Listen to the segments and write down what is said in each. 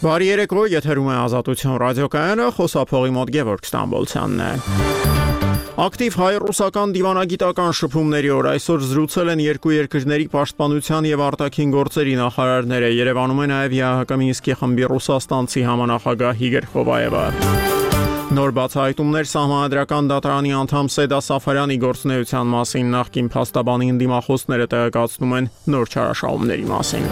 Բարի երեկո, եթերում է Ազատություն ռադիոկայանը, խոսափողի մոտ Գևորգ Ստամբոլցյանն է։ Ակտիվ հայ-ռուսական դիվանագիտական շփումների օր այսօր զրուցել են երկու երկրների պաշտպանության եւ արտաքին գործերի նախարարները։ Երևանում է նաեւ ԵԱՀԿ Մինսկի խմբի ռուսաստանցի համանախագահ Իգոր Խովայևը։ Նոր բացահայտումներ Սահմանադրական դատարանի անդամ Սեդա Սաֆարյանի գործունեության մասին նախկին փաստաբանի դիմախոսները տեղեկացնում են նոր չարաշահումների մասին։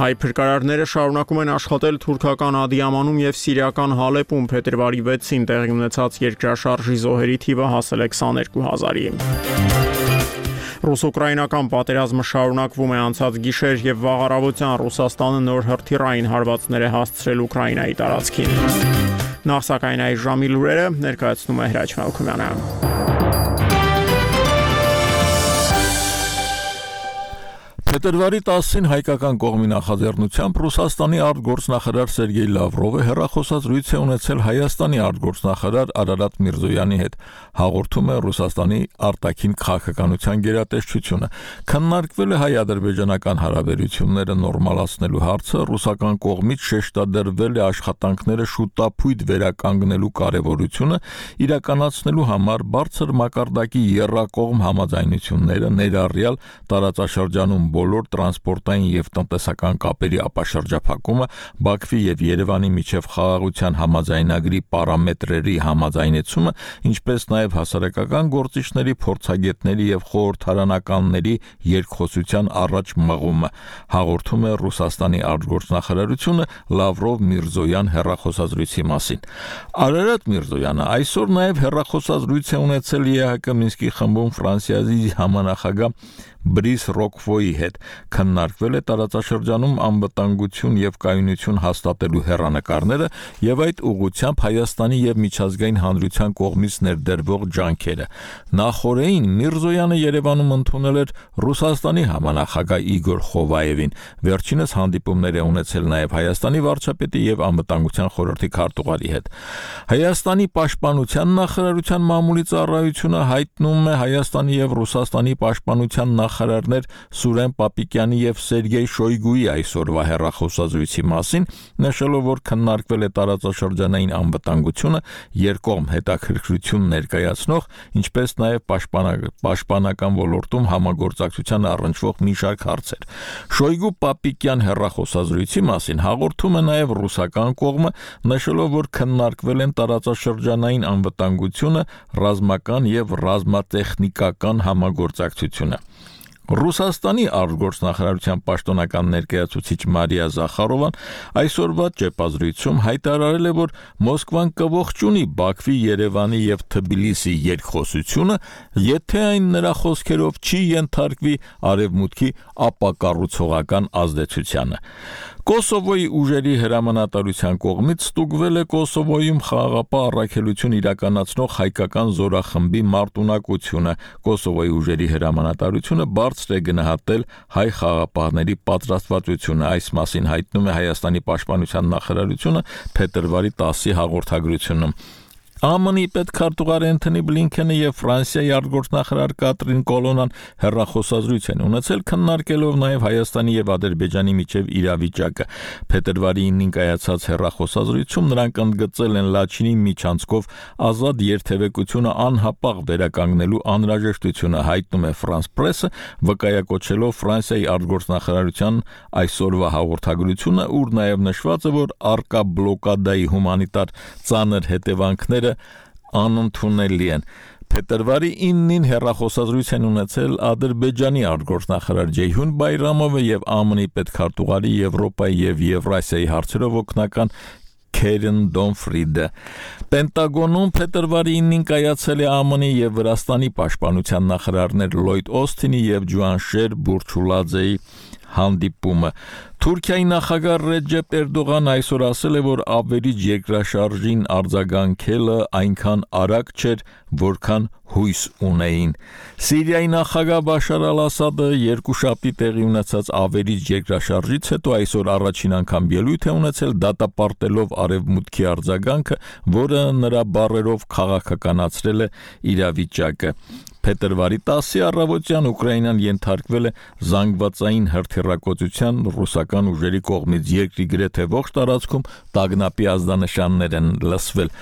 Հայ փրկարարները շարունակում են աշխատել թուրքական Ադիամանում եւ սիրիական Հալեպում փետրվարի 6-ին տեղի ունեցած երկրաշարժի զոհերի թիվը հասել է 22,000-ի։ Ռուս-ուկրաինական պատերազմը շարունակվում է անցած գիշեր եւ վաղ առավոտյան Ռուսաստանը նոր հրթիռային հարվածներ է հասցրել Ուկրաինայի տարածքին։ Նախ սակայն այս ժամի լուրերը ներկայացնում է Հրաչ Մալքումյանը։ Փետրվարի 10-ին հայկական կողմի նախաձեռնությամբ Ռուսաստանի արտգործնախարար Սերգեյ Լավրովը հեռախոսազրույց է ունեցել Հայաստանի արտգործնախարար Արարատ Միրզոյանի հետ, հաղորդում է Ռուսաստանի արտաքին քաղաքականության գերատեսչությունը։ Քննարկվել է հայ-ադրբեջանական հարաբերությունները նորմալացնելու հարցը, ռուսական կողմից շեշտադրվել է աշխատանքները շուտապույտ վերականգնելու կարևորությունը, իրականացնելու համար բարձր մակարդակի եռակողմ համաձայնությունները ներառյալ տարածաշրջանում բոլոր տրանսպորտային եւ տնտեսական կապերի ապաշրջափակումը, Բաքվի եւ Երևանի միջև խաղաղության համաձայնագրի պարամետրերի համաձայնեցումը, ինչպես նաեւ հասարակական գործիչների, փորձագետների եւ խորհրդարանականների երկխոսության առաջ մղումը, հաղորդում է Ռուսաստանի արտգործնախարարությունը Լավրով-Միրզոյան հեռախոսազրույցի մասին։ Արարատ Միրզոյանը այսօր նաեւ հեռախոսազրույց է ունեցել ԵԱՀԿ Մինսկի խմբում Ֆրանսիայի համանախագահ Բրիս Ռոկվոյի հետ, քննարկվել է տարածաշրջանում անվտանգություն եւ կայունություն հաստատելու հեռանկարները եւ այդ ուղղությամբ Հայաստանի եւ միջազգային հանրության կողմից ներդրվող ջանքերը։ Նախորդին Միրզոյանը Երևանում ընդունել էր Ռուսաստանի համանախագահ Իգոր Խովայևին, վերջինս հանդիպումներ է ունեցել նաեւ Հայաստանի վարչապետի եւ անվտանգության խորհրդի քարտուղարի հետ։ Հայաստանի պաշտպանության նախարարության մամուլի ծառայությունը հայտնում է Հայաստանի եւ Ռուսաստանի պաշտպանության նախարարներ Սուրեն Պապիկյանի եւ Սերգեյ Շոյգուի այսօրվա հեռախոսազրույցի մասին, նշելով, որ քննարկվել է տարածաշրջանային անվտանգությունը, երկկողմ հետաքրքրություն ներկայացնող, ինչպես նաեւ պաշտպանական ոլորտում համագործակցության առնչվող մի շարք հարցեր։ Շոյգու-Պապիկյան հեռախոսազրույցի մասին հաղորդում է նաեւ ռուսական կողմը, նշելով, որ քննարկվել են տարածաշրջանային անվտանգությունը, ռազմական եւ ռազմատեխնիկական համագործակցությունը։ Ռուսաստանի արտգործնախարարության պաշտոնական ներկայացուցիչ Մարիա Զախարովան այսօրվա ճեպազրույցում հայտարարել է, որ Մոսկվան կողջունի Բաքվի, Երևանի եւ Թբիլիսի երկխոսությունը, եթե այն նրա խոսքերով չի ենթարկվի արևմուտքի ապակառուցողական ազդեցությանը։ Կոսովոյի ուժերի հրամանատարության կողմից ստուգվել է Կոսովոյում խաղաղապահ առաքելություն իրականացնող հայկական զորախմբի մարտունակությունը։ Կոսովոյի ուժերի հրամանատարությունը բարձր է գնահատել հայ խաղաղապահների պատրաստվածությունը։ Այս մասին հայտնում է Հայաստանի պաշտպանության նախարարությունը փետրվարի 10-ի հաղորդագրությունում։ ԱՄՆ-ի պետքարտուղար Էնթոնի Բլինքենը եւ Ֆրանսիայի արտգործնախարար Կատրին Կոլոնան հեռախոսազրույց են ունեցել, քննարկելով նաեւ Հայաստանի եւ Ադրբեջանի միջև իրավիճակը։ Փետրվարի 9-ին կայացած հեռախոսազրույցում նրանք ընդգծել են Լաչինի միջանցքով ազատ երթևեկությունը անհապաղ վերականգնելու անհրաժեշտությունը, հայտնում է France Press-ը, վկայակոչելով Ֆրանսիայի արտգործնախարարության այսօրվա հաղորդագրությունը, ուր նաեւ նշված է, որ արկա բլոկադայի հումանիտար ծանր հետևանքները անընդունելի են։ Փետրվարի 9-ին հեռախոսազրույց են ունեցել Ադրբեջանի արտգործնախարար Ջեյհուն Բայրամովը եւ ԱՄՆ-ի պետքարտուղարի Եվրոպայի եւ Եվրասիայի հարցերով օգնական Քերեն Դոնֆրիդը։ Պենտագոնում փետրվարի 9-ին կայացել է ԱՄՆ-ի եւ Վրաստանի պաշտպանության նախարարներ Լոյդ Օսթինի եւ Ջուանշեր Բուրչուլաձեի հանդիպումը։ Թուրքիայի նախագահ Ռեջեփ Էրդողանը այսօր ասել է, որ ավերիչ երկրաշարժին արձագանքելը այնքան արագ չէր, որքան հույս ունեին։ Սիրիայի նախագահ Բաշար Ալ-Ասադը երկուշաբթի տեղի ունեցած ավերիչ երկրաշարժից հետո այսօր առաջին անգամ ելույթ է ունեցել դատապարտելով արևմուտքի արձագանքը, որը նրա բառերով քաղաքականացրել է իրավիճակը։ Փետրվարի 10-ի առավոտյան Ուկրաինան ենթարկվել է զանգվածային հրթիռակոծության ռուսական ուժերի կողմից երկրի գրեթե ողջ տարածքում տագնապի ազդանշաններ են լսվել։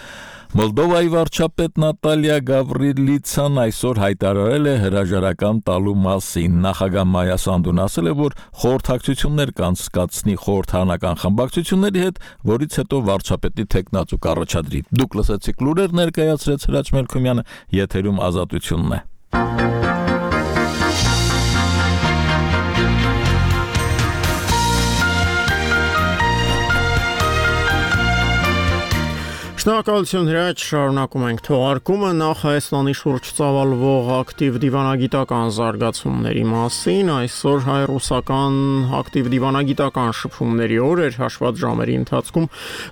Մոլդովայի վարչապետ Նատալիա Գավրիլիցան այսօր հայտարարել է հրաժարական տալու մասին։ Նախագահ Մայա Սանդուն ասել է, որ խորհրդակցություններ կանցկացնի խորհրդարանական խմբակցությունների հետ, որից հետո վարչապետի թեկնածու կառաջադրի։ Դուք լսեցիք լուրեր, ներկայացրեց Հրաչ Մելքումյանը, եթերում Ազատությունն է։ Շնորհակալություն Հրաչ, շարունակում ենք թողարկումը նախ Հայաստանի շուրջ ծավալվող ակտիվ դիվանագիտական զարգացումների մասին։ Այսօր հայ-ռուսական ակտիվ դիվանագիտական շփումների օր էր, հաշված ժամերի ընթացքում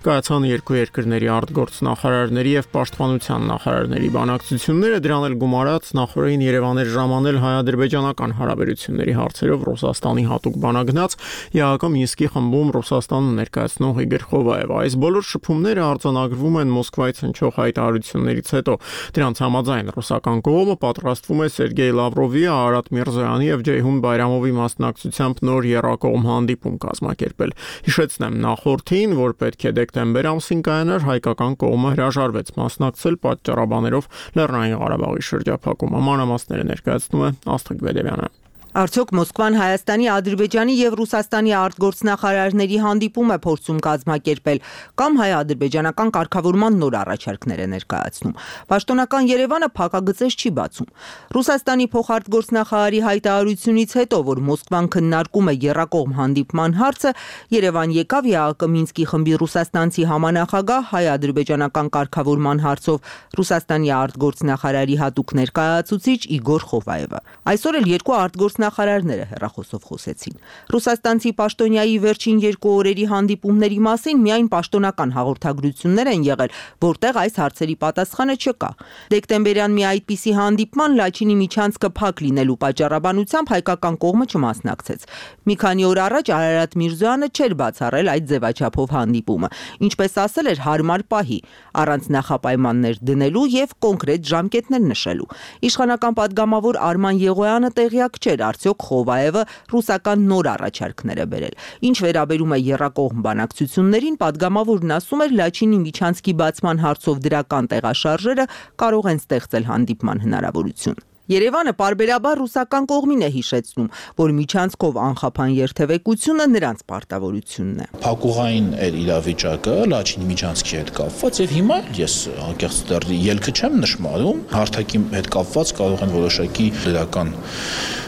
կայացան երկու երկրների արտգործնախարարների եւ պաշտպանության նախարարների բանակցությունները, դրան էլ գումարած նախորդին Երևան էր ժամանել հայ-ադրբեջանական հարաբերությունների հարցերով Ռուսաստանի հատուկ բանագնաց ԵԱՀԿ Մինսկի խմբում Ռուսաստանը ներկայացնող Իգոր Խովայևը։ Այս բոլոր շփումները արձանագրվում են Մոսկվայից հնչող հայտարարություններից հետո։ Դրանց համաձայն ռուսական կողմը պատրաստվում է Սերգեյ Լավրովի, Արարատ Միրզոյանի եւ Ջեյհուն Բայրամովի մասնակցությամբ նոր եռակողմ հանդիպում կազմակերպել։ Հիշեցնեմ, նախորդին, որ պետք է դեկտեմբեր ամսին կայանար, հայկական կողմը հրաժարվեց մասնակցել պատճառաբաներով Լեռնային Ղարաբաղի շրջափակումը։ Մանրամասները ներկայացնում է Աստղիկ Բեդևյանը։ Արդյոք Մոսկվան Հայաստանի, Ադրբեջանի եւ Ռուսաստանի արտգործնախարարների հանդիպում է փորձում կազմակերպել կամ հայ-ադրբեջանական կարգավորման նոր առաջարկներ է ներկայացնում։ Պաշտոնական Երևանը փակագծեր չի բացում։ Ռուսաստանի փոխարտգործնախարարի հայտարարությունից հետո, որ Մոսկվան քննարկում է եռակողմ հանդիպման հարցը, Երևան եկավ ԵԱՀԿ Մինսկի խմբի ռուսաստանցի համանախագահ հայ-ադրբեջանական կարգավորման հարցով Ռուսաստանի արտգործնախարարի հատուկ ներկայացուցիչ Իգոր Խովայևը։ Այսօր էլ երկու արտգործնախարարները հեռախոսով խոսեցին։ Ռուսաստանցի պաշտոնյայի վերջին երկու օրերի հանդիպումների մասին միայն պաշտոնական հաղորդագրություններ են եղել, որտեղ այս հարցերի պատասխանը չկա։ Դեկտեմբերյան մի այդպիսի հանդիպման Լաչինի միջանցքը փակ լինելու պատճառաբանությամբ հայկական կողմը չմասնակցեց։ Մի քանի օր առաջ Արարատ Միրզոյանը չէր բացառել այդ ձևաչափով հանդիպումը, ինչպես ասել էր հարմար պահի, առանց նախապայմաններ դնելու եւ կոնկրետ ժամկետներ նշելու։ Իշխանական падգամավոր Արման Եղոյանը տեղյակ չէր արդյոք Խովայևը ռուսական նոր առաջարկներ է բերել։ Ինչ վերաբերում է եռակողմ բանակցություններին, падգամավորն ասում էր Լաչինի միջանցքի բացման հարցով դրական տեղաշարժերը կարող են ստեղծել հանդիպման հնարավորություն։ Երևանը պարբերաբար ռուսական կողմին է հիշեցնում, որ միջանցքով անխափան երթևեկությունը նրանց պարտավորությունն է։ Փակուղային այդ իրավիճակը Լաչինի միջանցքի հետ կապված եւ հիմա ես անկեղծ դեռ ելքը չեմ նշмарում, հարթակի հետ կապված կարող են որոշակի դրական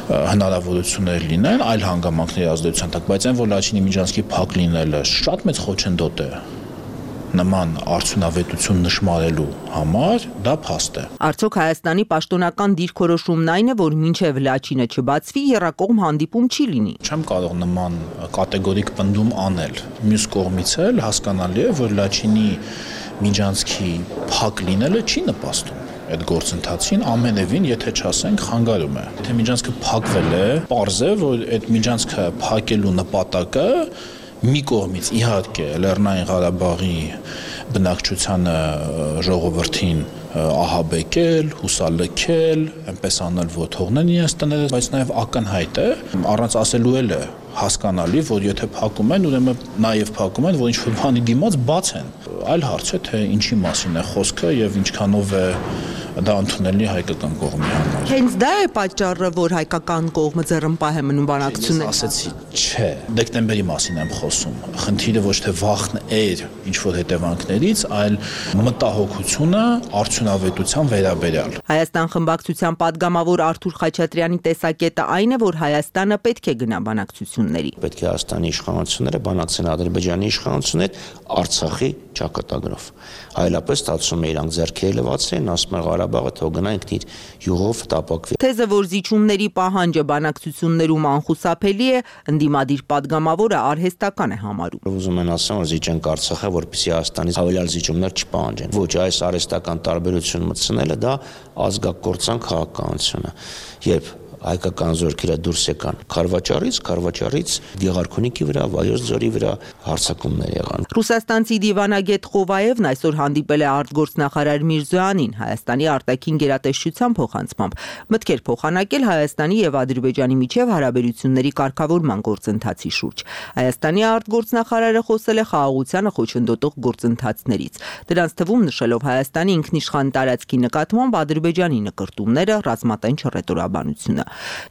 հնարավորություններ լինեն այլ հանգամանքների ազդեցության տակ, բայց այն որ Լաչինի միջանցքի փակ լինելը շատ մեծ խոչընդոտ է նման արդյունավետություն նշмарելու համար դա փաստ է։ Արդյոք Հայաստանի պաշտոնական դիրքորոշումն այն է, որ մինչև Լաչինը չբացվի, եռակողմ հանդիպում չի լինի։ Չեմ կարող նման կատեգորիկ պնդում անել։ Մյուս կողմից էլ հասկանալի է, որ Լաչինի միջանցքի փակ լինելը չի նպաստում այդ գործընթացին ամենևին, եթե չասենք խանգարում է։ Եթե միջանցքը փակվել է, պարզ է, որ այդ միջանցքը փակելու նպատակը մի կողմից իհարկե Լեռնային Ղարաբաղի բնակչությանը ժողովրդին ահաբեկել, հուսալքել, այնպես անել, որ թողնեն իրենց տները, բայց նաև ակնհայտ է, առանց ասելու էլ է հասկանալի, որ եթե փակում են, ուրեմն նաև փակում են, որ ինչ-որ բանի դիմաց բաց են։ Այլ հարց է, թե ինչի մասին է խոսքը եւ ինչքանով է դա ընդունելի հայկական կողմի համար։ Հենց դա է պատճառը, որ հայկական կողմը ձեռնպահ է մնում բանակցություններին։ Ասեցի, չէ, դեկտեմբերի մասին եմ խոսում։ Խնդիրը ոչ թե վախն էր ինչ-որ հետևանքներից, այլ մտահոգությունը արդյունավետության վերաբերյալ։ Հայաստան խմբակցության падգամավոր Արթուր Խաչատրյանի տեսակետը այն է, որ Հայաստանը պետք է գնա բանակցությունների։ Պետք է Հայաստանի իշխանությունները բանակցեն Ադրբեջանի իշխանությունների հետ Արցախի ճակատագրով։ Այլապես ստացվում է իրանք ձեռքերը լվացրեն, ասում են Ղարաբաղը թող գնա ինքն իր յուղով տապակվի։ Թեզը, որ զիջումների պահանջը բանակցություններում անխուսափելի է, ընդդիմադիր падգամավորը արհեստական է համարում։ Ուզում են ասեն, որ զիջենք Արցախը, որպեսզի Հայաստանից հավելյալ զիջումներ չպահանջեն։ Ոչ, այս արհեստական տարբերություն մտցնելը դա ազգակործան քաղաքականություն է։ Երբ հայկական զորքերը դուրս եկան Քարվաճառից Գեղարքունիքի վրա, Վայոց ձորի վրա հարձակումներ եղան։ Ռուսաստանցի դիվանագետ Խովայևն այսօր հանդիպել է արտգործնախարար Միրզոյանին Հայաստանի արտաքին գերատեսչության փոխանցմամբ, մտքեր փոխանակել Հայաստանի եւ Ադրբեջանի միջև հարաբերությունների կարգավորման գործընթացի շուրջ։ Հայաստանի արտգործնախարարը խոսել է խաղաղությանը խոչընդոտող գործընթացներից։ Դրանց թվում նշելով Հայաստանի ինքնիշխան տարածքի նկատմամբ Ադրբեջանի նկրտումները, ռազմատենչ հռետորաբանությունը։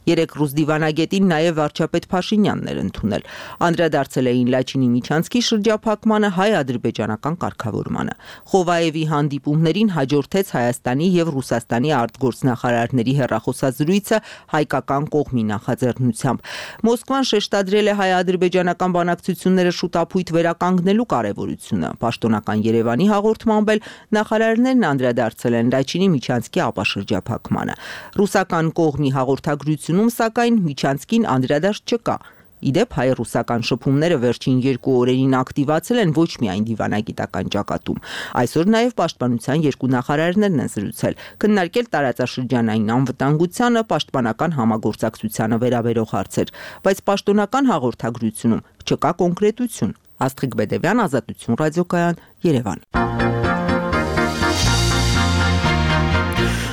Երեք ռուս դիվանագետին նաև վարչապետ Փաշինյանն էր ընդունել։ Անդրադարձել էին Լաչինի Միչանցկի շրջափակմանը, հայ-ադրբեջանական կարգավորմանը։ Խովայևի հանդիպումներին հաջորդեց Հայաստանի եւ Ռուսաստանի արտգործնախարարների հեռախոսազրույցը հայկական կողմի նախաձեռնությամբ։ Մոսկվան շեշտադրել է հայ-ադրբեջանական բանակցությունները շուտապույտ վերականգնելու կարևորությունը։ Պաշտոնական Երևանի հաղորդմամբ էլ նախարարներն անդրադարձել են Լաչինի Միչանցկի ապաշրջափակմանը։ Ռուսական կողմի հաղորդագրությունում սակայն Միչանցկին անդրադարձ չկա։ Իդեպ հայ-ռուսական շփումները վերջին 2 օրերին ակտիվացել են ոչ միայն դիվանագիտական ճակատում։ Այսօր նաև պաշտպանության 2 նախարարներն են զրուցել, քննարկել տարածաշրջանային անվտանգությանը, պաշտպանական համագործակցությանը վերաբերող հարցեր, բայց պաշտոնական հաղորդագրությունում չկա կոնկրետություն։ Աստղիկ Բեդևյան, Ազատություն ռադիոկայան, Երևան։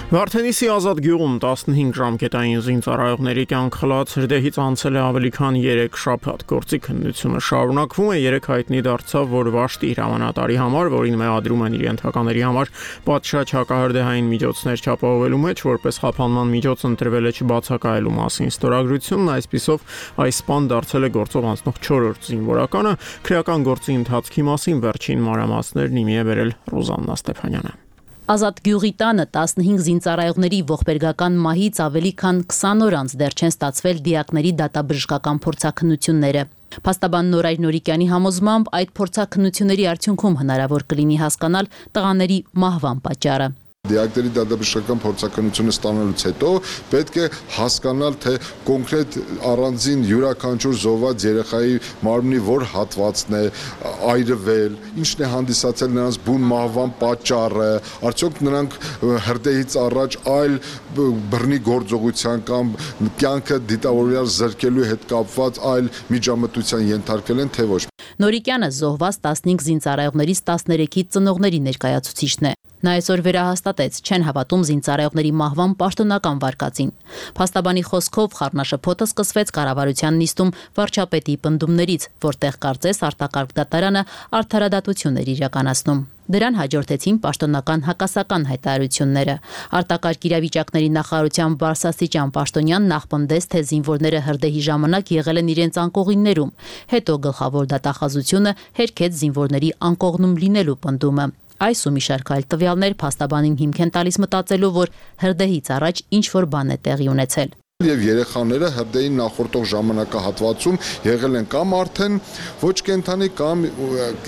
Վարդենիսի ազատ գյուղում 15 ժամկետային զինծառայողների կյանք խլած հրդեհից անցել է ավելի քան 3 շաբաթ։ Գործի քննությունը շարունակվում է։ 3 հայտնի դարձավ, որ Վաշտի հրամանատարի համար, որին մեղադրում են իր ենթակաների համար պատշաճ հակահրդեհային միջոցներ չապահովելու մեջ, որպես խափանման միջոց ընտրվել է չբացակայելու մասին ստորագրությունն, այսպիսով այս սպան դարձել է գործով անցնող 4-րդ զինվորականը։ Քրեական գործի ընթացքի մասին վերջին մանրամասներն իմի է բերել Ռոզաննա Ստեփանյանը։ Ազատ գյուղի տանը 15 զինծառայողների ողբերգական մահից ավելի քան 20 օր անց դեռ չեն ստացվել դիակների դատաբժշկական փորձաքննությունները։ Փաստաբան Նորայր Նորիկյանի համոզմամբ այդ փորձաքննությունների արդյունքում հնարավոր կլինի հասկանալ տղաների մահվան պատճառը։ Դիակների դատաբժշկական փորձաքննությունը ստանալուց հետո պետք է հասկանալ, թե կոնկրետ առանձին յուրաքանչյուր զոհված երեխայի մարմնի որ հատվածն է այրվել, ինչն է հանդիսացել նրանց բուն մահվան պատճառը, արդյոք նրանք հրդեհից առաջ այլ բռնի գործողության կամ կյանքը դիտավորյալ զրկելու հետ կապված այլ միջամտության ենթարկել են, թե ոչ։ Նորիկյանը զոհված 15 զինծառայողներից 13-ից ծնողների ներկայացուցիչն է։ Նա այսօր վերահաստատեց, չեն հավատում զինծառայողների մահվան պաշտոնական վարկածին։ Փաստաբանի խոսքով խառնաշփոթը սկսվեց կառավարության նիստում վարչապետի պնդումներից, որտեղ կարծես արտակարգ դատարանը արդարադատություն էր իրականացնում։ Դրան հաջորդեցին պաշտոնական հակասական հայտարարությունները։ Արտակարգ իրավիճակների նախարարության բարձրաստիճան պաշտոնյան նախպնդեց, թե զինվորները հրդեհի ժամանակ եղել են իրենց անկողիններում։ Հետո գլխավոր դատախազությունը հերքեց զինվորների անկողնում լինելու պնդումը։ Այս ու մի շարք այլ տվյալներ փաստաբանին հիմք են տալիս մտածելու, որ հրդեհից առաջ ինչ-որ բան է տեղի ունեցել։ Եվ երեխաները հրդեհին նախորդող ժամանակահատվածում եղել են կամ արդեն ոչ կենդանի կամ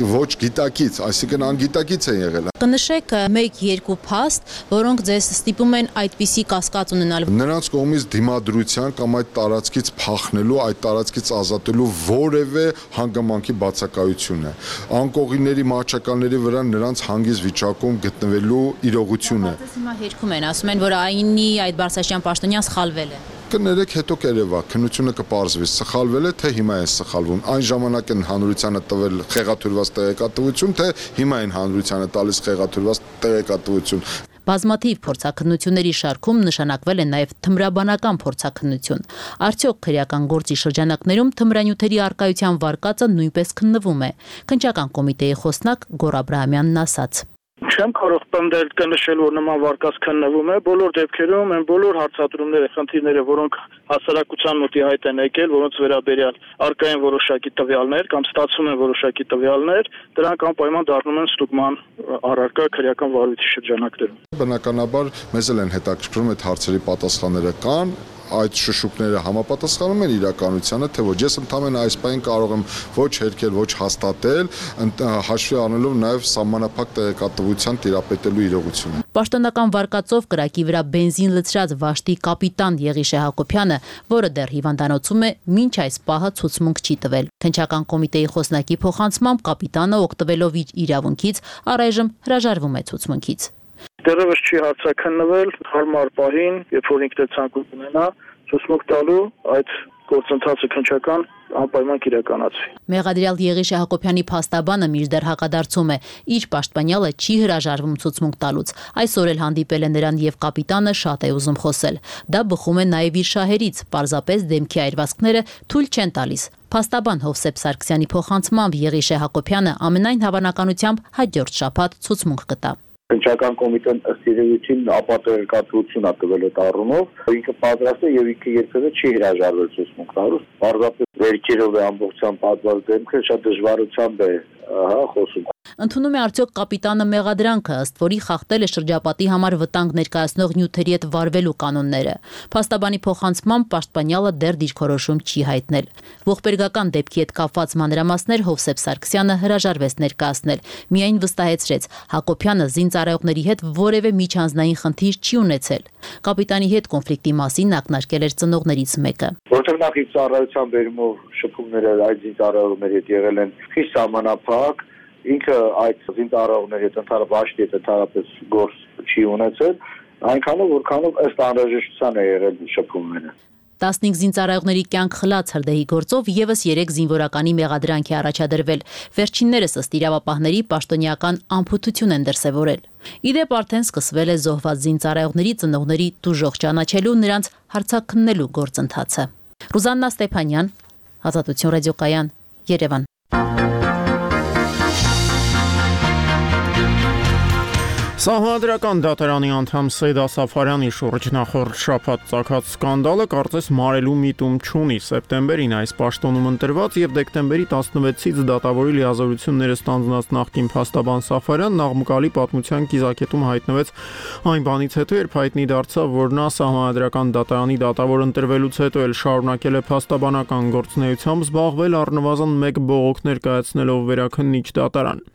ոչ գիտակից, այսինքն անգիտակից են եղել։ Կնշեք 1-2 փաստ, որոնք ձեզ ստիպում են այդպիսի կասկած ունենալ։ Նրանց կողմից դիմադրության կամ այդ տարածքից փախնելու, այդ տարածքից ազատելու որևէ հանգամանքի բացակայություն է։ Անկողինների մահճականների վրա նրանց հանգիստ վիճակում գտնվելու իրողություն է։ Հիմա հերքում են, ասում են, որ այնի այդ բարձրաստիճան պաշտոնյան սխալվել է։ Կներեք հետո կերևա, քննությունը կպարզվի, սխալվել է, թե հիմա է սխալվում։ Այն ժամանակ են հանրությանը տվել խեղաթյուրված տեղեկատվություն, թե հիմա են հանրությանը տալիս խեղաթյուրված տեղեկատվություն։ Բազմաթիվ փորձաքննությունների շարքում նշանակվել է նաև թմրաբանական փորձաքննություն։ Արդյոք քրեական գործի շրջանակներում թմրանյութերի արկայության վարկածը նույնպես քննվում է։ Քննչական կոմիտեի խոսնակ Գոռ Աբրահամյանն ասաց. Չեմ կարող պնդել կնշել, որ նման վարկած քննվում է, բոլոր դեպքերում են բոլոր հարցադրումները, խնդիրները, որոնք հասարակության մոտի հայտ են եկել, որոնց վերաբերյալ արկա են որոշակի տվյալներ կամ ստացվում են որոշակի տվյալներ, դրանք անպայման դառնում են ստուգման առարկա քրեական վարույթի շրջանակներում։ Բնականաբար մեզ էլ են հետաքրքրում այդ հարցերի պատասխանները կան, այդ շշուկները համապատասխանում են իրականությանը, թե ոչ։ Ես ընդհանրապես այս պահին կարող եմ ոչ հերքել, ոչ հաստատել, հաշվի առնելով նաև սահմանափակ տեղեկատվության տիրապետելու իրողությունը։ Պաշտոնական վարկածով կրակի վրա բենզին լցրած Վաշտի կապիտան Եղիշե Հակոբյանը, որը դեռ հիվանդանոցում է, մինչ այս պահը ցուցմունք չի տվել։ Քննչական կոմիտեի խոսնակի փոխանցմամբ կապիտանը օգտվելով իր իրավունքից առայժմ հրաժարվում է ցուցմունքից։ Դեռևս չի հարցաքննվել, հարմար պահին, երբ որ ինքն է ցանկություն ունենա, ցուցմունք տալու այդ գործընթացը քննչական անպայման կիրականացվի։ Մեղադրյալ Եղիշե Հակոբյանի փաստաբանը մինչդեռ հակադարձում է, իր պաշտպանյալը չի հրաժարվում ցուցմունք տալուց։ Այսօր էլ հանդիպել է նրան եւ կապիտանը շատ է ուզում խոսել։ Դա բխում է նաեւ իր շահերից, պարզապես դեմքի այրվածքները թույլ չեն տալիս։ Փաստաբան Հովսեփ Սարգսյանի փոխանցմամբ Եղիշե Հակոբյանը ամենայն հավանականությամբ հաջորդ շաբաթ ցուցմունք կտա։ Քննչական կոմիտեն ըստ իրավիճին ապատերկատվություն է տվել այդ առումով, ինքը պատրաստ է եւ ինքը երբևէ չի հրաժարվել ցուցմունք տալուց։ Պարզապես վերջերով է ամբողջությամբ պատված դեմքը շատ դժվարությամբ է խոսում։ Ընդունում է արդյոք կապիտանը մեղադրանքը, ըստ որի խախտել է շրջապատի համար վտանգ ներկայացնող նյութերի հետ վարվելու կանոնները։ Փաստաբանի փոխանցմամբ պաշտպանյալը դեռ դիրքորոշում չի հայտնել։ Ողբերգական դեպքի հետ կապված մանրամասներ Հովսեփ Սարգսյանը հրաժարվեց ներկայացնել, միայն վստահեցրեց, Հակոբյանը զինծառայողների հետ որևէ միջանձնային խնդիր չի ունեցել։ Կապիտանի հետ կոնֆլիկտի մասին ակնարկել էր ծնողներից մեկը։ Որտեղ նախ իր ծառայության բերումով շփումները այդ զինծառայողների հետ եղել են խիստ սահմանափակ, ինքը այդ զինծառայողների հետ ընդհանրապես ընդհանրապես գործ չի ունեցել, այնքանով որքանով ըստ անհրաժեշտության է եղել շփումները։ 15 զինծառայողների կյանք խլած հրդեհի գործով եւս 3 զինվորականի մեղադրանք է առաջադրվել։ Վերջիններս ըստ իրավապահների պաշտոնյական անփութություն են դրսևորել։ Իդեպ արդեն սկսվել է զոհված զինծառայողների ծնողների տուժող ճանաչելու նրանց հարցաքննելու գործընթացը։ Ռուզաննա Ստեփանյան, Ազատություն ռադիոկայան, Երևան։ Սահմանադրական դատարանի անդամ Սեյդա Սաֆարյանի շուրջ նախորդ շաբաթ ծագած սկանդալը կարծես մարելու միտում չունի։ Սեպտեմբերին այս պաշտոնում ընտրված եւ դեկտեմբերի 16-ից դատավորի լիազորությունները ստանձնած նախկին փաստաբան Սաֆարյանն աղմկալի պատմության կիզակետում հայտնվեց այն բանից հետո, երբ հայտնի դարձավ, որ նա Սահմանադրական դատարանի դատավոր ընտրվելուց հետո էլ շարունակել է փաստաբանական գործունեությամբ զբաղվել առնվազն 1 բողոք ներկայացնելով վերաքննիչ դատարան։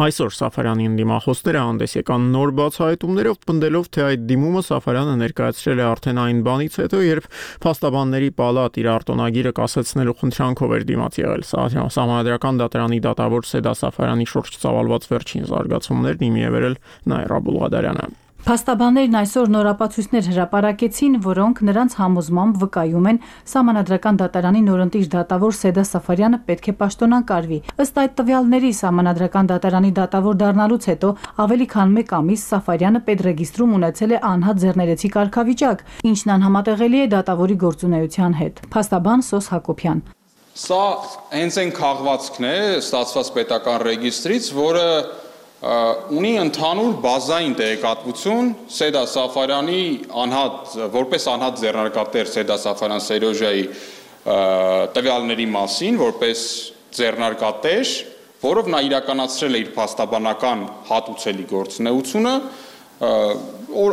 Այսօր Սաֆարյանի ընդդիմախոսները հանդես եկան նոր բացահայտումներով, պնդելով, թե այդ դիմումը Սաֆարյանը ներկայացրել է արդեն այն բանից հետո, երբ փաստաբանների պալատ իր արտոնագիրը կասեցնելու խնդրանքով էր դիմաց եղել։ Սահմանադրական դատարանի դատավոր Սեյդա Սաֆարյանի շուրջ ծավալված վերջին զարգացումներն իմի է վերել Նաիրա Բուլղադարյանը։ Փաստաբաններն այսօր նորապացույցներ հրապարակեցին, որոնք նրանց համոզմամբ վկայում են Սահմանադրական դատարանի նորընտիր դատավոր Սեյդա Սաֆարյանը պետք է պաշտոնակարգվի։ Ըստ այդ տվյալների Սահմանադրական դատարանի դատավոր դառնալուց հետո ավելի քան 1 ամիս Սաֆարյանը պետրեգիստրում ունեցել է անհատ ձեռներեցի կարգավիճակ, ինչն անհամատեղելի է դատավորի գործունեության հետ։ Փաստաբան Սոս Հակոբյան։ Սա հենց այն քաղվածքն է ստացված պետական ռեգիստրից, որը ունի ընդհանուր բազային տեղեկատվություն Սեյդա Սաֆարյանի որպես անհատ ձեռնարկատեր Սեյդա Սաֆարյան Սերոժայի տվյալների մասին, որպես ձեռնարկատեր, որով նա իրականացրել է իր փաստաբանական հատուցելի գործունեությունը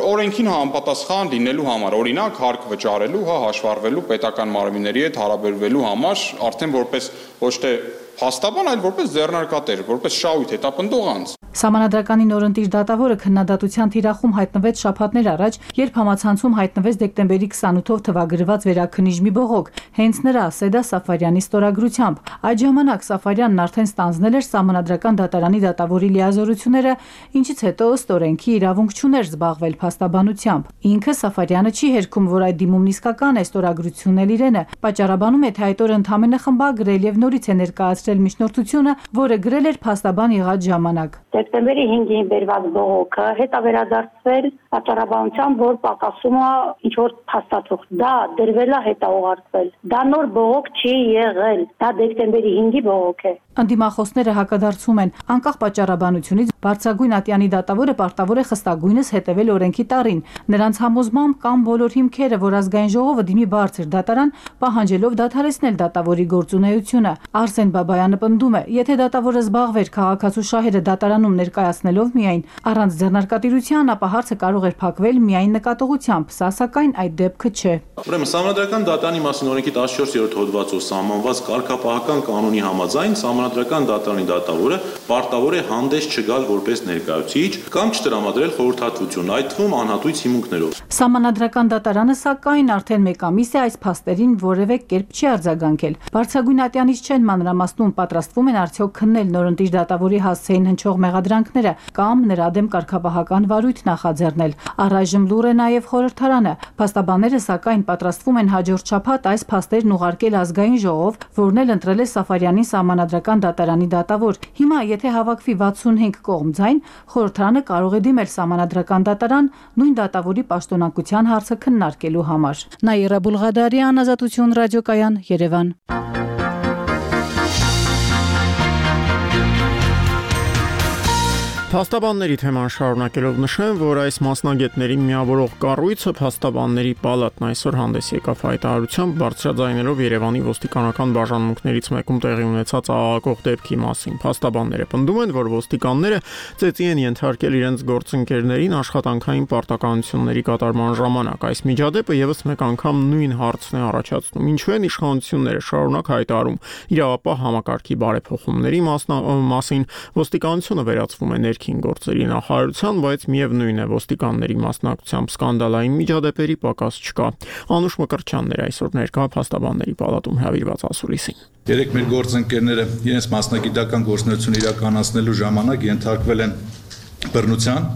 օրենքին համապատասխան լինելու համար, օրինակ հարկ վճարելու, հաշվառվելու պետական մարմինների հետ հարաբերվելու համար, արդեն որպես ոչ թե փաստաբան, այլ որպես ձեռնարկատեր, որպես շահույթ հետապնդող անձ։ Սահմանադրականի նորընտիր դատավորը քննադատության թիրախում հայտնվեց շաբաթներ առաջ, երբ համացանցում հայտնվեց դեկտեմբերի 28-ով թվագրված վերաքննիչ մի բողոք, հենց նրա Սեյդա Սաֆարյանի ստորագրությամբ։ Այդ ժամանակ Սաֆարյանն արդեն ստանձնել էր Սահմանադրական դատարանի դատավորի լիազորությունները, ինչից հետո ըստ օրենքի իրավունք չուներ զբաղվել փաստաբանությամբ։ Ինքը Սաֆարյանը չի հերքում, որ այդ դիմումն իսկական է, ստորագրությունն էլ իրենը։ Պատճառաբանում է, թե այդ օրը ընդամենը խմբագրել եւ նորից է ներկայացրել միջնորդությունը, որը գրել էր փաստաբան եղած ժամանակ։ Դեկտեմբերի 5-ին բերված բողոքը հետա վերադարձվել պատճառաբանությամբ, որ պակասում է ինչ որ փաստաթուղթ։ Դա դրվել է հետա ուղարկվել։ Դա նոր բողոք չի եղել։ Դա դեկտեմբերի 5-ի բողոք է։ Ընդդիմախոսները հակադարձում են, անկախ պատճառաբանությունից բարձրագույն ատյանի դատավորը պարտավոր է խստագույնս հետևել օրենքի տառին։ Նրանց համոզմամբ կան բոլոր հիմքերը, որ ազգային ժողովը դիմի բարձր դատարան, պահանջելով դադարեցնել դատավորի գործունեությունը։ Արսեն Բաբայանը պնդում է, եթե դատավորը զբաղվեր քաղաքացու շահերը դատարանում ներկայացնելով միայն առանց ձեռնարկատիրության, ապա հարցը կարող էր փակվել միայն նկատողությամբ, սա սակայն այդ դեպքը չէ։ Ուրեմն Սահմանադրական դատարանի մասին օրենքի 14-րդ հոդվածով սահմանված կարգապահական կանոնի համաձայն Սահմանադրական դատարանի դատավորը պարտավոր է հանդես չգալ որպես ներկայացուցիչ կամ չտրամադրել խորհրդատվություն, այդ թվում անհատույց հիմունքներով։ Սահմանադրական դատարանը սակայն արդեն 1 ամիս է այս փաստերին որևէ կերպ չի արձագանքել։ Բարձրագույն ատյանից չեն մանրամասնում, պատրաստվում են արդյոք քննել նորընտիր դատավորի հասցեին հնչող մեղադրանքները կամ նրա դեմ կարգապահական վարույթ նախաձեռնել։ Առայժմ լուր է նաև խորհրդարանը։ Փաստաբանները սակայն պատրաստվում են հաջորդ շաբաթ այս փաստերն ուղարկել ազգային ժողով, որն էլ ընտրել է Սաֆարյանի սահմանադրական դատարանի դատավոր։ Հիմա, եթե հավաքվի 65 կողմ ձայն, խորհրդարանը կարող է դիմել սահմանադրական դատարան նույն դատավորի պաշտոնակության հարցը քննարկելու համար։ Նաիրա Բուլղադարյան, Ազատություն ռադիոկայան, Երևան։ Փաստաբանների թեման շարունակելով նշեմ, որ այս մասնագետներին միավորող կառույցը Փաստաբանների պալատն այսօր հանդես եկավ հայտարարությամբ բարձրաձայնելով Երևանի ոստիկանական բաժանմունքներից մեկում տեղի ունեցած աղաղակող դեպքի մասին։ Փաստաբանները պնդում են, որ ոստիկանները ծեծի են ենթարկել իրենց գործընկերներին աշխատանքային պարտականությունների կատարման ժամանակ։ Այս միջադեպը եւս մեկ անգամ նույն հարցն է առաջացնում։ Ինչու են իշխանությունները շարունակ հայտարարում իրավապահ համակարգի բարեփոխումների մասին, ոստիկանությունը վերածվում է գործերի նախարարության, բայց միևնույն է ոստիկանների մասնակցությամբ սկանդալային միջադեպերի պակաս չկա։ Անուշ Մկրտչյանն էր այսօր ներկա Փաստաբանների պալատում հրավիրված ասուլիսին։ Երեք մեր գործընկերները իրենց մասնագիտական գործունեություն իրականացնելու ժամանակ ենթարկվել են բռնության։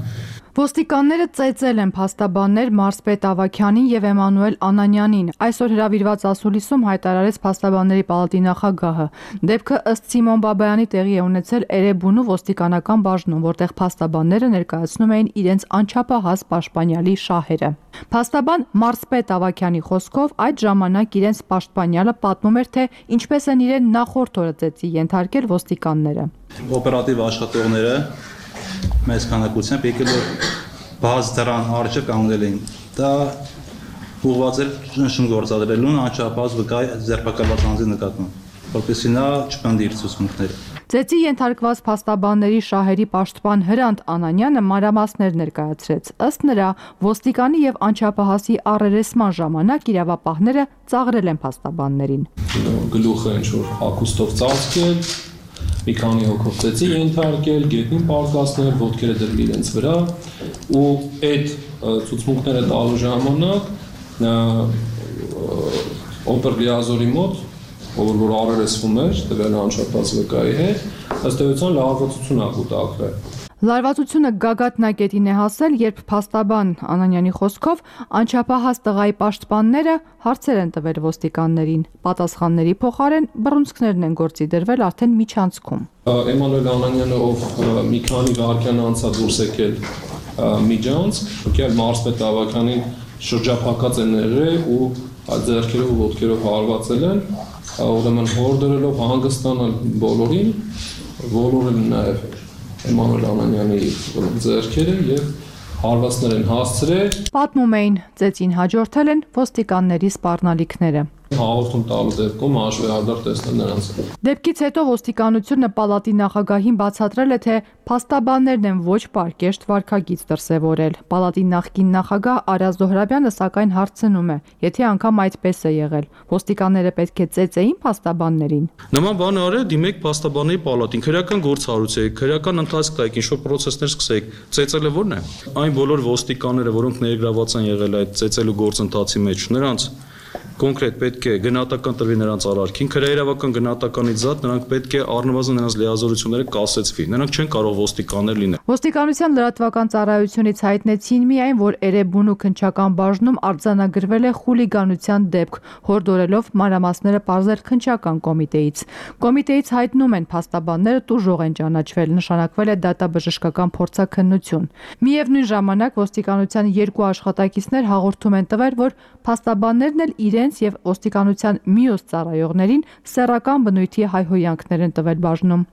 Ոստիկանները ծեծել են փաստաբաններ Մարսպետ Ավագյանին եւ Էմանուել Անանյանին։ Այսօր հրավիրված ասուլիսում հայտարարեց Փաստաբանների պալատի նախագահը։ Դեպքը ըստ Սիմոն Բաբայանի տեղի է ունեցել Էրեբունու ոստիկանական բաժնում, որտեղ փաստաբանները ներկայացնում էին իրենց անչափահաս պաշտպանյալի շահերը։ Փաստաբան Մարսպետ Ավագյանի խոսքով այդ ժամանակ իրենց պաշտպանյալը պատմում էր, թե ինչպես են իրեն նախորդ օրը ծեծի ենթարկել ոստիկանները։ Օպերատիվ աշխատողները մեծ քանակությամբ եկել բաց դրան արժե կանգնել էին։ Դա ուղղված էր ճնշում գործադրելուն անչափահաս վկայ ձերբակալված անձի նկատմամբ, որպեսզի նա չպնդի իր ցուցմունքները։ Ծեծի ենթարկված փաստաբանների շահերի պաշտպան Հրանտ Անանյանը մանրամասներ ներկայացրեց։ Ըստ նրա, ոստիկանի եւ անչափահասի առերեսման ժամանակ իրավապահները ծաղրել են փաստաբաններին։ Գլուխը ինչ-որ հագուստով ծածկել, մի քանի հոգով ծեծի ենթարկել, գետնին պարկասնել, ոտքերը դրել իրենց վրա ու այդ ցուցմունքները տալու ժամանակ օպերլիազորի մոտ, որ առերեսվում էր, տվել անչափահաս վկայի հետ, ըստ էության լարվածություն ա կուտակվել։ Լարվածությունը գագաթնակետին է հասել, երբ փաստաբան Անանյանի խոսքով անչափահաս տղայի պաշտպանները հարցեր են տվել ոստիկաններին։ Պատասխանների փոխարեն բռունցքներն են գործի դրվել արդեն միջանցքում։ Էմանուել Անանյանը, ով մի քանի վայրկյան անց է դուրս եկել միջանցք, եկել Մարսպետ Ավագյանին շրջափակած են եղել ու ձեռքերով ու ոտքերով հարվածել են, ուրեմն հոր դրելով հանգստանալ բոլորին, բոլորը նաև Էմանուել Անանյանի ձեռքերը եւ հարվածներ են հասցրել։ Պատմում էին, ծեծին հաջորդել են ոստիկանների սպառնալիքները։ Հաղորդում տալու դեպքում հաշվեհարդար տեսնել նրանց։ Դեպքից հետո ոստիկանությունը պալատի նախագահին բացատրել է, թե փաստաբաններն են ոչ պարկեշտ վարքագիծ դրսևորել։ Պալատի նախկին նախագահ Արա Զոհրաբյանը սակայն հարցնում է, եթե անգամ այդպես է եղել, ոստիկանները պետք է ծեծեին փաստաբաններին։ Նման բան արել, դիմեք փաստաբանների պալատին, քրեական գործ հարուցեք, քրեական ընթացք տայեք, ինչ-որ պրոցեսներ սկսեք։ Ծեծելը ո՞րն է։ Այն բոլոր ոստիկանները, որոնք ներգրաված են եղել այդ ծեծելու գործընթացի մեջ, նրանց կոնկրետ պետք է գնահատական տրվի նրանց արարքին, քրեիրավական գնահատականից զատ նրանք պետք է առնվազն նրանց լիազորությունները կասեցվի։ Նրանք չեն կարող ոստիկաններ լինել։ Ոստիկանության լրատվական ծառայությունից հայտնեցին միայն, որ Էրեբունու քննչական բաժնում արձանագրվել է խուլիգանության դեպք, հորդորելով մանրամասները պարզել քննչական կոմիտեից։ Կոմիտեից հայտնում են փաստաբանները տուժող են ճանաչվել, նշանակվել է դատաբժշկական փորձաքննություն։ Միևնույն ժամանակ ոստիկանության երկու աշխատակիցներ հաղորդում են տվել, որ փաստաբաններն էլ իրենց եւ ոստիկանության մյուս ծառայողներին սեռական բնույթի հայհոյանքներ են տվել բաժնում։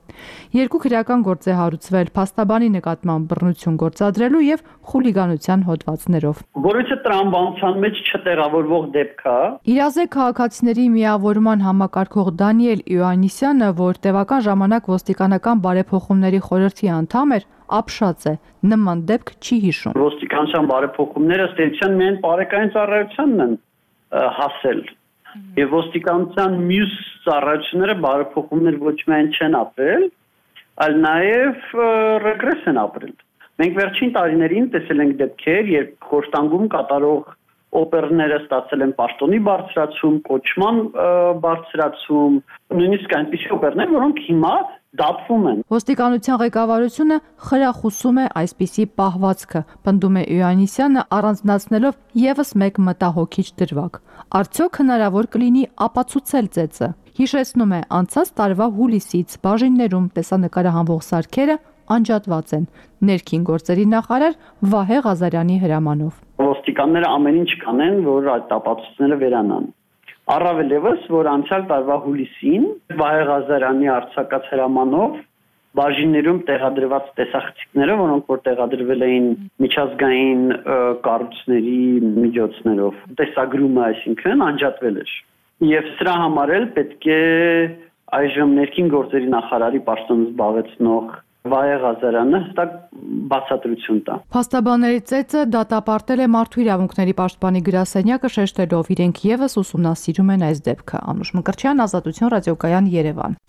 Երկու քրեական գործ է հարուցվել փաստաբանի նկատմամբ բռնություն գործադրելու եւ խուլիգանության հոդվածներով։ Որովհետեւ տրամաբանության մեջ չտեղավորվող դեպք է։ Իրազեկ քաղաքացիների միավորման համակարգող Դանիել Իոաննիսյանը, որ տևական ժամանակ ոստիկանական բարեփոխումների խորհրդի անդամ էր, ապշած է, նման դեպք չի հիշում։ Ոստիկանության բարեփոխումները ըստ էության միայն բարեկային ծառայությանն են հասել։ Եվ ոստիկանության մյուս ծառայությունները բարեփոխումներ ոչ միայն չեն ապրել, այլ նաև ռեգրես են ապրել։ Մենք վերջին տարիներին տեսել ենք դեպքեր, երբ խորհրդանգում կատարող օպերները ստացել են պաշտոնի բարձրացում, կոչման բարձրացում, նույնիսկ այնպիսի օպերներ, որոնք հիմա դատվում են։ Ոստիկանության ղեկավարությունը խրախուսում է այսպիսի պահվածքը, պնդում է Իոաննիսյանը, առանձնացնելով եւս մեկ մտահոգիչ դրվագ։ Արդյոք հնարավոր կլինի ապացուցել ծեծը։ Հիշեցնում է, անցած տարվա հուլիսից բաժիններում տեսանկարահանվող սարքերը անջատված են։ Ներքին գործերի նախարար Վահե Ղազարյանի հրամանով։ Ոստիկանները ամեն ինչ կանեն, որ այդ ապացույցները վերանան։ Առավել ևս, որ անցյալ տարվա հուլիսին Վահե Ղազարյանի արձակած հրամանով բաժիններում տեղադրված տեսախցիկները, որոնք որ տեղադրվել էին միջազգային կառույցների միջոցներով, տեսագրումը, այսինքն անջատվել էր։ Եվ սրա համար էլ պետք է այժմ ներքին գործերի նախարարի պաշտոնը զբաղեցնող Վահե Ղազարյանը հստակ բացատրություն տա։ Փաստաբանների ծեծը դատապարտել է Մարդու իրավունքների պաշտպանի գրասենյակը, շեշտելով իրենք եւս ուսումնասիրում են այս դեպքը։ Անուշ Մկրտչյան, Ազատություն ռադիոկայան, Երևան։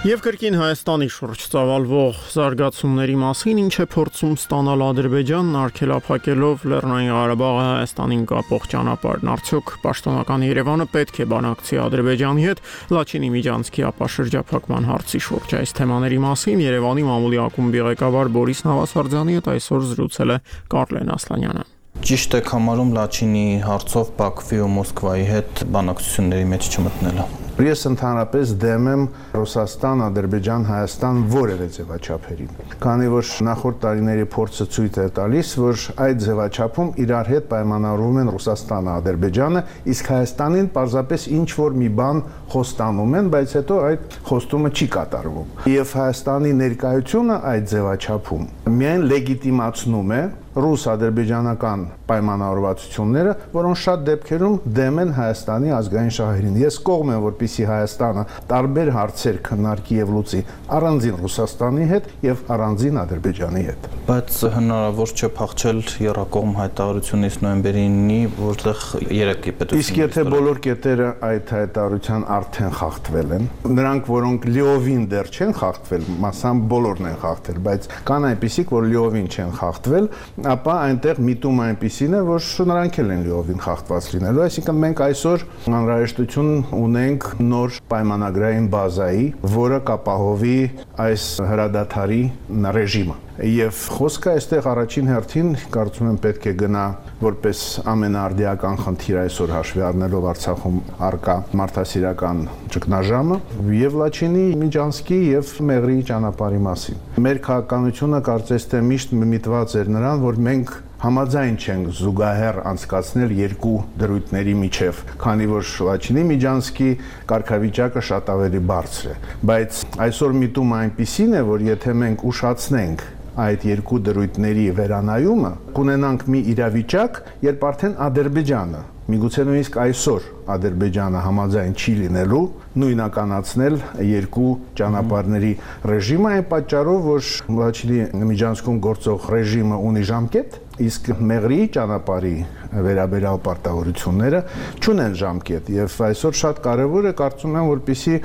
Եվ կրկին Հայաստանի շուրջ ծավալվող զարգացումների մասին ինչ է փորձում ստանալ Ադրբեջանն արգելափակելով Լեռնային Ղարաբաղը Հայաստանին կապող ճանապարհն, արդյոք պաշտոնական Երևանը պետք է բանակցի Ադրբեջանի հետ Լաչինի միջանցքի ապաշրջափակման հարցի շուրջ։ Այս թեմաների մասին Երևանի մամուլի ակումբի ղեկավար Բորիս Նավասարդյանի հետ այսօր զրուցել է Կարլեն Ասլանյանը։ Ճիշտ եք համարում Լաչինի հարցով Բաքվի ու Մոսկվայի հետ բանակցությունների մեջ չմտնելը։ Ես ընդհանրապես դեմ եմ Ռուսաստան, Ադրբեջան, Հայաստան որևէ ձևաչափերին։ Քանի որ նախորդ տարիների փորձը ցույց է տալիս, որ այդ ձևաչափում իրար հետ պայմանավորվում են Ռուսաստանը, Ադրբեջանը, իսկ Հայաստանին պարզապես ինչ որ մի բան խոստանում են, բայց հետո այդ խոստումը չի կատարվում։ Եվ Հայաստանի ներկայությունը այդ ձևաչափում միայն լեգիտիմացնում է ռուս-ադրբեջանական պայմանավորվածությունները, որոնք շատ դեպքերում դեմ են Հայաստանի ազգային շահերին։ Ես կողմ եմ, որպեսզի Հայաստանը տարբեր հարցեր քննարկի եւ լուծի առանձին Ռուսաստանի հետ եւ առանձին Ադրբեջանի հետ։ Բայց հնարավոր չէ փախչել եռակողմ հայտարարությունից նոյեմբերի 9-ի, որտեղ 3 պետություններ։ Իսկ եթե բոլոր կետերը այդ հայտարարության արդեն խախտվել են, նրանք, որոնք լիովին դեռ չեն խախտվել, մասամբ բոլորն են խախտել, բայց կան այնպիսիք, որ լիովին չեն խախտվել, ապա այնտեղ միտում այնպիսին է, որ նրանք էլ են լիովին խախտված լինելու, այսինքն մենք այսօր անհրաժեշտություն ունենք նոր պայմանագրային բազայի, որը կապահովի այս հրադադարի ռեժիմը։ Եվ խոսքը այստեղ առաջին հերթին կարծում եմ պետք է գնա որպես ամենաարդիական խնդիր այսօր հաշվի առնելով Արցախում առկա մարդասիրական ճգնաժամը եւ Լաչինի միջանցքի եւ Մեղրիի ճանապարհի մասին։ Մեր քաղաքականությունը կարծես թե միշտ միտված էր նրան, որ մենք համաձայն չենք զուգահեռ անցկացնել երկու դրույթների միջև, քանի որ Լաչինի միջանցքի կարգավիճակը շատ ավելի բարձր է, բայց այսօր միտումը այնպիսին է, որ եթե մենք ուշացնենք այդ երկու դրույթների վերանայումը, կունենանք մի իրավիճակ, երբ արդեն Ադրբեջանը, միգուցե նույնիսկ այսօր Ադրբեջանը համաձայն չի լինելու նույնականացնել երկու ճանապարհների ռեժիմը, այն պատճառով, որ Լաչինի միջանցքում գործող ռեժիմը ունի ժամկետ, իսկ Մեղրիի ճանապարհի վերաբերյալ պարտավորությունները չունեն ժամկետ, եւ այսօր շատ կարեւոր է կարծում եմ, որպեսզի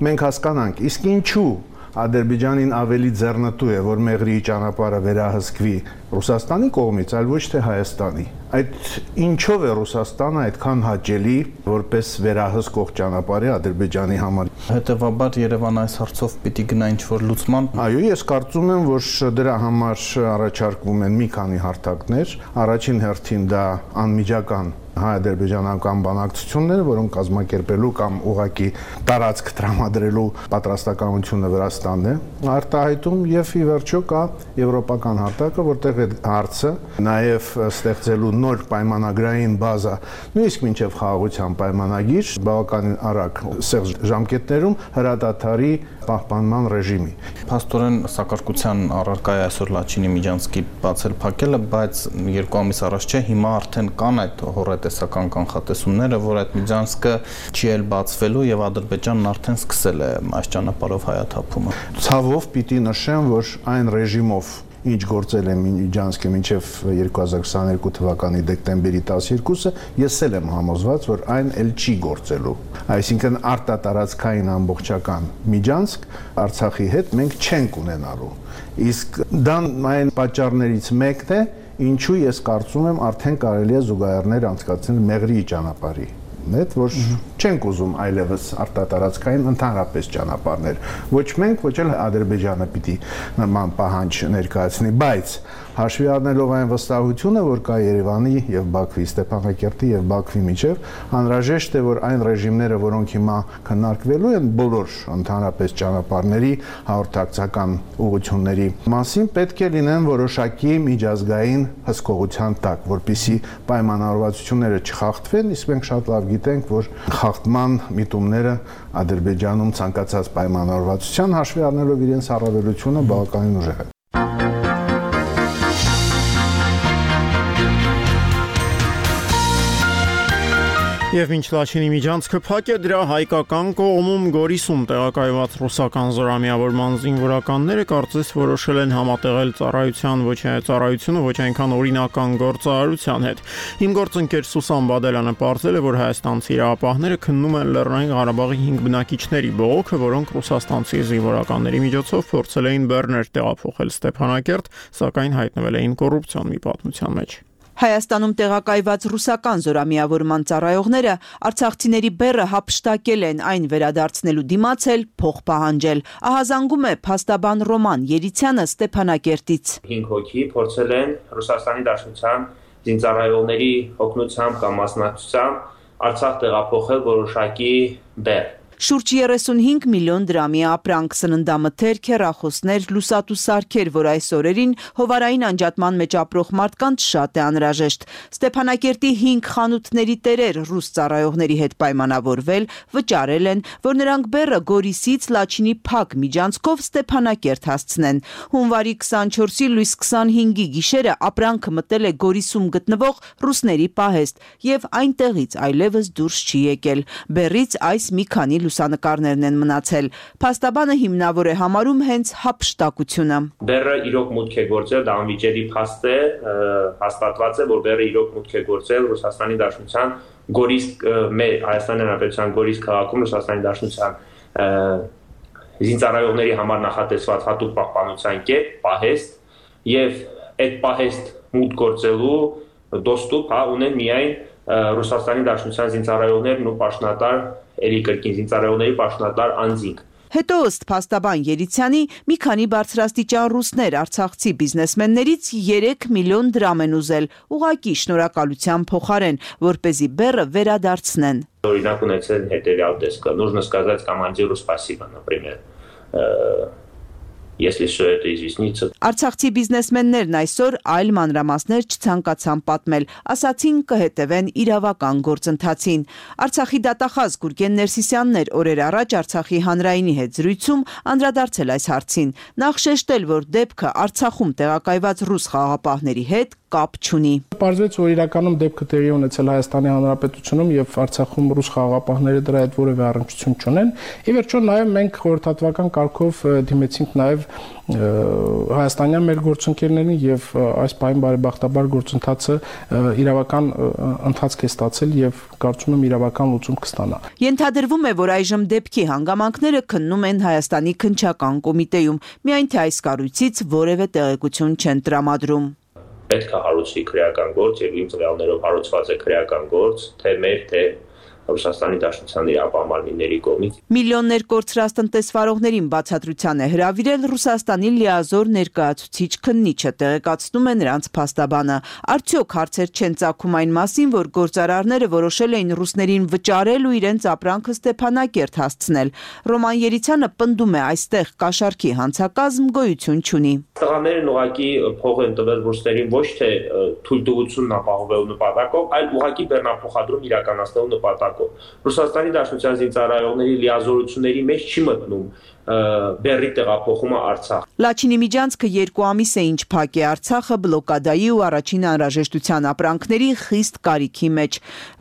մենք հասկանանք, իսկ ինչու Ադրբեջանին ավելի ձեռնտու է, որ Մեղրիի ճանապարհը վերահսկվի Ռուսաստանի կողմից, այլ ոչ թե Հայաստանի։ Այդ ինչով է Ռուսաստանը այդքան հաճելի որպես վերահսկող ճանապարհի Ադրբեջանի համար։ Հետևաբար Երևանը այս հարցով պիտի գնա ինչ-որ լուծման։ Այո, ես կարծում եմ, որ դրա համար առաջարկվում են մի քանի հարթակներ։ Առաջին հերթին դա անմիջական հայ-ադրբեջանական բանակցությունները, որոնք կազմակերպելու կամ ուղղակի տարածք տրամադրելու պատրաստականությունը Վրաստանն է արտահայտում եւ ի վերջո կա եվրոպական հարտակը, որտեղ այդ հարցը նաեւ ստեղծելու նոր պայմանագրային բազա, նույնիսկ մինչեւ խաղաղության պայմանագիր, բավականին արագ սեղմ ժամկետներում հրադադարի պահպանման ռեժիմի։ Փաստորեն սակարկության առարկա է այսօր Լաչինի միջանցքի բացել փակելը, բայց 2 ամիս առաջ չէ, հիմա արդեն կան այդ հորատեսական կանխատեսումները, որ այդ միջանցքը չի էլ բացվելու եւ Ադրբեջանն արդեն սկսել է այս ճանապարհով հայաթափումը։ Ցավով պիտի նշեմ, որ այն ռեժիմով ինչ գործել է Միջանցքը մինչև 2022 թվականի դեկտեմբերի 12-ը, ես էլ եմ համոզված, որ այն էլ չի գործելու։ Այսինքն արտատարածքային ամբողջական Միջանցք Արցախի հետ մենք չենք ունենալու։ Իսկ դա այն պատճառներից մեկն է, ինչու ես կարծում եմ արդեն կարելի է զուգահեռներ անցկացնել Մեղրիի ճանապարհի հետ, որ չենք ուզում այլևս արտատարածքային ընդհանրապես ճանապարհներ։ Ոչ մենք, ոչ էլ Ադրբեջանը պիտի նման պահանջ ներկայացնի, բայց հաշվի առնելով այն վստահությունը, որ կա Երևանի եւ Բաքվի, Ստեփանակերտի եւ Բաքվի միջև, անհրաժեշտ է, որ այն ռեժիմները, որոնք հիմա քննարկվելու են բոլոր ընդհանրապես ճանապարհների հաղորդակցական ուղղությունների մասին, պետք է լինեն որոշակի միջազգային հսկողության տակ, որպեսզի պայմանավորվածությունները չխախտվեն, իսկ մենք շատ լավ գիտենք, որ խախտման միտումները Ադրբեջանում ցանկացած պայմանավորվածության հաշվի առնելով իրենց առավելությունը բավականին ուժեղ է։ Եվ մինչ Լաչինի Միջանցքը փակ է, դրա հայկական կողմում Գորիսում տեղակայված ռուսական զորամիավորման զինվորականները կարծես որոշել են համատեղել ծառայությունը ոչ այնքան օրինական գործարարության հետ։ Իմ գործընկեր Սուսան Բադելյանը պարզել է, որ հայաստանցի իրավապահները քննում են Լեռնային Ղարաբաղի 5 բնակիչների բողոքը, որոնք ռուսաստանցի զինվորականների միջոցով փորձել էին բեռներ տեղափոխել Ստեփանակերտ, սակայն հայտնվել էին կոռուպցիոն մի պատմության մեջ։ Հայաստանում տեղակայված ռուսական զորամիավորման ծառայողները արցախցիների բեռը հափշտակել են, այն վերադարձնելու դիմաց էլ փող պահանջել։ Ահազանգում է փաստաբան Ռոման Երիցյանը Ստեփանակերտից։ 5 հոգի փորձել են Ռուսաստանի Դաշնության զինծառայողների օգնությամբ կամ մասնակցությամբ Արցախ տեղափոխել որոշակի բեռ։ Շուրջ 35 միլիոն դրամի ապրանք, սննդամթերք, հեռախոսներ, լուսատու սարքեր, որ այս օրերին հովարային անջատման մեջ ապրող մարդկանց շատ է անհրաժեշտ։ Ստեփանակերտի 5 խանութների տերեր ռուս ծառայողների հետ պայմանավորվել, վճարել են, որ նրանք բեռը Գորիսից Լաչինի փակ միջանցքով Ստեփանակերտ հասցնեն։ Հունվարի 24-ի լույս 25-ի գիշերը ապրանքը մտել է Գորիսում գտնվող ռուսների պահեստ եւ այնտեղից այլևս դուրս չի եկել։ Բեռից այս մի քանի լուսանկարներն են մնացել։ Փաստաբանը հիմնավոր է համարում հենց հափշտակությունը։ Բեռը իրոք մուտք է գործել, դա անվիճելի փաստ է, հաստատված է, որ բեռը իրոք մուտք է գործել Ռուսաստանի Դաշնության Գորիս, Հայաստանի Հանրապետության Գորիս քաղաքում Ռուսաստանի Դաշնության զինծառայողների համար նախատեսված հատուկ պահպանության կետ, պահեստ, եւ այդ պահեստ մուտք գործելու դոստուպ ունեն միայն Ռուսաստանի Դաշնության զինծառայողներն ու պաշտոնատար էլի կրկին զինծառայողների պաշտոնատար անձինք։ Հետո ըստ փաստաբան Երիցյանի մի քանի բարձրաստիճան ռուսներ արցախցի բիզնեսմեններից 3 միլիոն դրամ են ուզել, ուղղակի շնորհակալության փոխարեն, որպեսզի բեռը վերադարձնեն։ Օրինակ ունեցել հետևյալ տեսքը. Нужно сказать командиру спасибо, например. Если все это изъяснится. Արցախցի բիզնեսմեններն այսօր այլ մանրամասներ չցանկացան պատմել, ասացին կհետևեն իրավական գործընթացին։ Արցախի դատախազ Գուրգեն Ներսիսյանն էր օրեր առաջ Արցախի հանրայինի հետ զրույցում անդրադարձել այս հարցին։ Նախ շեշտել, որ դեպքը Արցախում տեղակայված ռուս խաղաղապահների հետ կապ չունի։ Պարզվեց, որ իրականում դեպքը տեղի ունեցել Հայաստանի Հանրապետությունում եւ Արցախում ռուս խաղաղապահները դրա հետ որևէ առնչություն չունեն։ Ի վերջո նաեւ մենք խորհրդատվական կարգով դիմեցինք նաեւ հայաստանյան մեր գործընկերներին եւ այս պահին բարեբախտաբար գործընթացը իրավական ընթացք է ստացել եւ կարծում եմ իրավական լուծում կստանա։ Ենթադրվում է, որ այժմ դեպքի հանգամանքները քննում են Հայաստանի քննչական կոմիտեում, միայն թե այս կառույցից որևէ տեղեկություն չեն տրամադրում։ Պետք է հարուցվի քրեական գործ եւ իմ ծրագրերով հարուցված է քրեական գործ, թե մեր, թե Ռուսաստանի Դաշնության իրավապահարների կողմից։ Միլիոններ կորցրած տնտեսվարողներին բացատրության է հրավիրել Ռուսաստանի լիազոր ներկայացուցիչ քննիչը, տեղեկացնում է նրանց փաստաբանը։ Արդյոք հարցեր չեն ծագում այն մասին, որ գործարարները որոշել էին ռուսներին վճարել ու իրենց ապրանքը Ստեփանակերտ հասցնել։ Ռոման Երիցյանը պնդում է, այստեղ կաշառքի հանցակազմ գոյություն չունի։ Տղաներն ուղղակի փող են տվել ռուսներին ոչ թե թույլտվությունն ապահովելու նպատակով, այլ ուղղակի բեռնափոխադրում իրականացնելու նպատակով։ կարգով։ Ռուսաստանի Դաշնության զինծառայողների լիազորությունների մեջ չի մտնում բեռի տեղափոխումը Արցախ։ Լաչինի միջանցքը 2 ամիս է ինչ փակ է Արցախը բլոկադայի ու առաջին անհրաժեշտության ապրանքների խիստ կարիքի մեջ,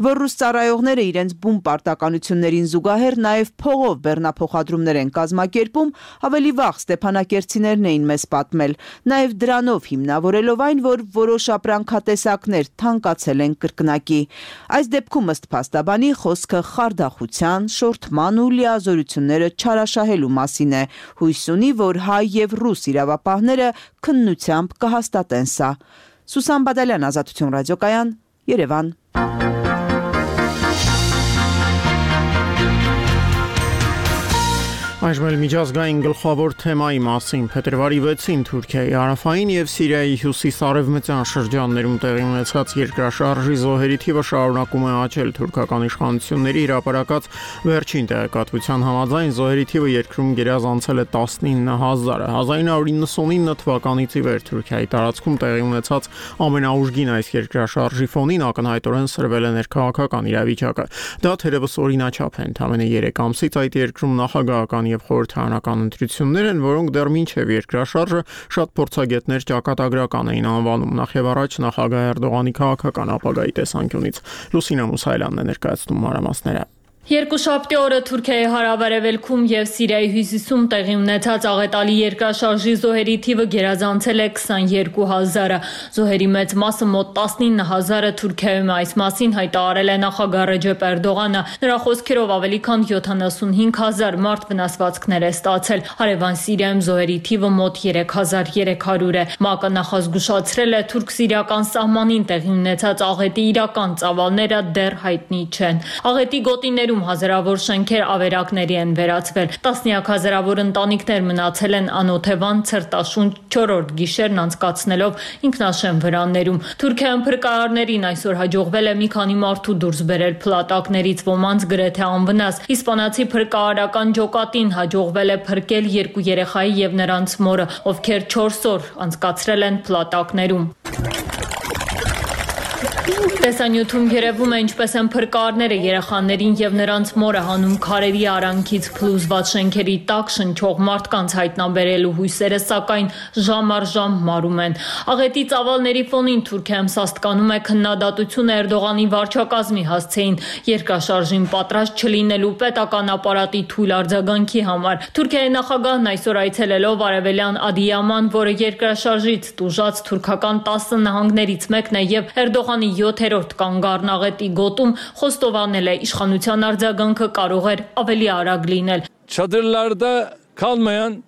որ ռուս ծառայողները իրենց բուն պարտականություններին զուգահեռ նաև փողով բեռնափոխադրումներ են կազմակերպում, ավելի վաղ ստեփանակերտցիներն էին մեզ պատմել, նաև դրանով հիմնավորելով այն, որ որոշ ապրանքատեսակներ թանկացել են կրկնակի։ Այս դեպքում ըստ փաստաբանի խոսքը խարդախության, շորթման ու լիազորությունները չարաշահելու մասին է, հույս ունի, որ հայ եւ ռուս իրավապահները քննությամբ կհաստատեն սա։ Սուսան Բադալյան, Ազատություն ռադիոկայան, Երևան։ Այժմ էլ միջազգային գլխավոր թեմայի մասին փետրվարի 6-ին Թուրքիայի հարավային եւ Սիրիայի հյուսիս-արևմտյան շրջաններում տեղի ունեցած երկրաշարժի զոհերի թիվը շարունակում է աճել։ Թուրքական իշխանությունների հրապարակած վերջին տեղեկատվության համաձայն զոհերի թիվը երկրում գերազանցել է 19000-ը։ 1999 թվականից ի վեր Թուրքիայի տարածքում տեղի ունեցած ամենաուժգին այս երկրաշարժի ֆոնին ակնհայտորեն սրվել է ներքաղաքական իրավիճակը։ Դա թերևս օրինաչափ է, ընդամենը 3 ամսից այդ երկրում նախագահական եւ խորհրդարանական ընտրություններ են, որոնք դեռ մինչեւ երկրաշարժը շատ փորձագետներ ճակատագրական էին անվանում, նախ եւ առաջ նախագահ Էրդողանի քաղաքական ապագայի տեսանկյունից։ Լուսինա Մուսայելյանն է ներկայացնում մանրամասները։ Երկուշաբթի օրը Թուրքիայի հարավարևելքում եւ Սիրիայի հյուսիսում տեղի ունեցած աղետալի երկրաշարժի զոհերի թիվը գերազանցել է 22000-ը։ Զոհերի մեծ մասը մոտ 19000-ը Թուրքիայում է, այս մասին հայտարարել է նախագահ Ռեջեփ Էրդողանը։ Նրա խոսքերով ավելի քան 75000 մարդ վնասվածքներ է ստացել։ Հարևան Սիրիայում զոհերի թիվը մոտ 3300 է։ ՄԱԿ-ը նախազգուշացրել է թուրք-սիրիական սահմանին տեղի ունեցած աղետի իրական ծավալները դեռ հայտնի չեն։ Աղետի գոտիներում հազարավոր շենքեր ավերակների են վերածվել, տասնյակ հազարավոր ընտանիքներ մնացել են անօթևան ցրտաշունչ 4-րդ գիշերն անցկացնելով ինքնաշեն վրաններում։ Թուրքիայում փրկարարներին այսօր հաջողվել է մի քանի մարդու դուրս բերել փլատակներից, ոմանց գրեթե անվնաս։ Իսպանացի փրկարարական ջոկատին հաջողվել է փրկել 2 երեխայի եւ նրանց մորը, ովքեր 4 օր անցկացրել են փլատակներում։ Տեսանյութում երևում է ինչպես են փրկարարները երեխաներին եւ նրանց մորը հանում քարերի արանքից փլուզված շենքերի տակ շնչող մարդկանց հայտնաբերելու հույսերը սակայն ժամ առ ժամ մարում են։ Աղետի ծավալների ֆոնին Թուրքիայում սաստկանում է քննադատություն Էրդողանի վարչակազմի հասցեին երկրաշարժին պատրաստ չլինելու պետական ապարատի թույլ արձագանքի համար։ Թուրքիայի նախագահն այսօր այցելելով արևելյան Ադիյաման, որը երկրաշարժից տուժած թուրքական 10 նահանգներից մեկն է եւ Էրդողանի 7-րդ կանգառն աղետի գոտում խոստովանել է իշխանության արձագանքը կարող էր ավելի արագ լինել։ Çadırlarda kalmayan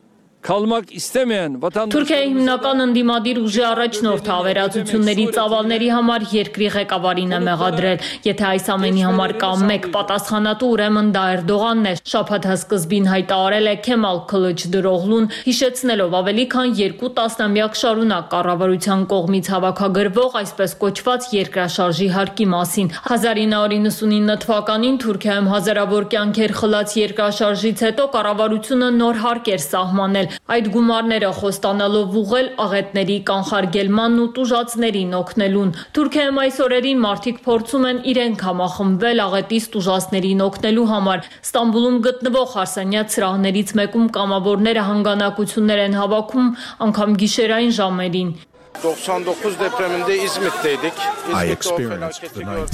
kalmak istemeyen Թուրքիայի հիմնական ընդդիմադիր ուժի առաջնորդը ավերածությունների ծավալների համար երկրի ղեկավարին է մեղադրել։ Եթե այս ամենի համար կա մեկ պատասխանատու, ուրեմն դա Էրդողանն է, շաբաթ սկզբին հայտարարել է Քեմալ Քլիչդարօղլուն, հիշեցնելով ավելի քան 2 տասնամյակ շարունակ կառավարության կողմից հավաքագրվող այսպես կոչված երկրաշարժի հարկի մասին։ 1999 թվականին Թուրքիայում հազարավոր կյանքեր խլած երկրաշարժից հետո կառավարությունը նոր հարկ էր սահմանել։ Այդ գումարները խոստանալով ուղղել աղետների կանխարգելմանն ու տուժածներին օգնելուն։ Թուրքիայում այս օրերին մարդիկ փորձում են իրենք համախմբվել աղետից տուժածներին օգնելու համար։ Ստամբուլում գտնվող հարսանյաց սրահներից մեկում կամավորները հանգանակություններ են հավաքում անգամ գիշերային ժամերին։ 99 depreminde İzmit'teydik.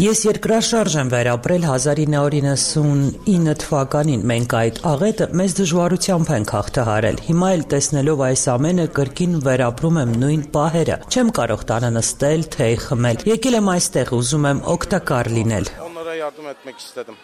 Ես երկրաշարժ եմ վերապրել 1999 թվականին։ Մենք այդ աղետը մեծ դժվարությամբ ենք հաղթահարել։ Հիմա էլ տեսնելով այս ամենը կրկին վերապրում եմ նույն պահերը։ Չեմ կարող տանը նստել, թեյ խմել։ Եկել եմ այստեղ, ուզում եմ օգտակար լինել։ Onlara yardım etmek istedim.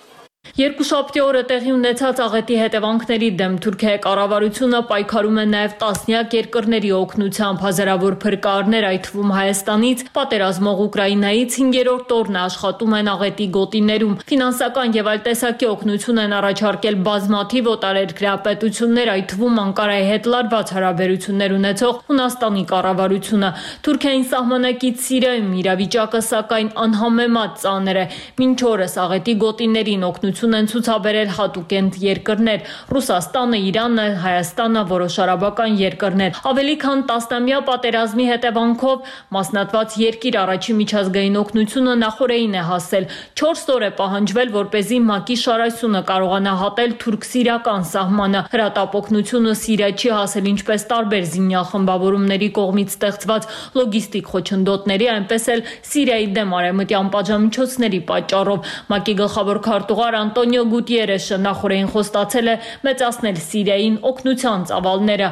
Երկուշաբթի օրը տեղի ունեցած աղետի հետևանքների դեմ Թուրքիայի կառավարությունը պայքարում է նաև տասնյակ երկրների օգնությամբ։ Հազարավոր փրկարարներ, այդ թվում Հայաստանից, պատերազմող Ուկրաինայից 5-րդ օրն աշխատում են աղետի գոտիներում։ Ֆինանսական եւ այլ տեսակի օգնություն են առաջարկել բազմաթիվ օտարերկրյա պետություններ, այդ թվում Անկարայի հետ լարված հարաբերություններ ունեցող Հունաստանի կառավարությունը։ Թուրքիային սահմանակից Սիրիայում իրավիճակը սակայն անհամեմատ ծանր է։ Մինչ օրս աղետի գոտիներին օգնություն օգնություն են ցուցաբերել հատուկենտ երկրներ՝ Ռուսաստանը, Իրանը, Հայաստանը, որոշ արաբական երկրներ։ Ավելի քան 10-ամյա պատերազմի հետևանքով մասնատված երկիր առաջի միջազգային օգնությունը նախորդին է հասել։ 4 օր է պահանջվել, որպեսզի ՄԱԿ-ի շարասյունը կարողանա հատել թուրք-սիրիական սահմանը։ Հրատապօգնությունը Սիրիա չի հասել ինչպես տարբեր զինյալ խմբավորումների կողմից ստեղծված լոգիստիկ խոչընդոտների, այնպես էլ Սիրիայի դեմ արևմտյան պատժամիջոցների պատճառով։ ՄԱԿ-ի գլխավոր քարտուղար Անտոնիո Գուտիերեշը նախորդին խոստացել է մեծացնել Սիրիային օգնության ծավալները։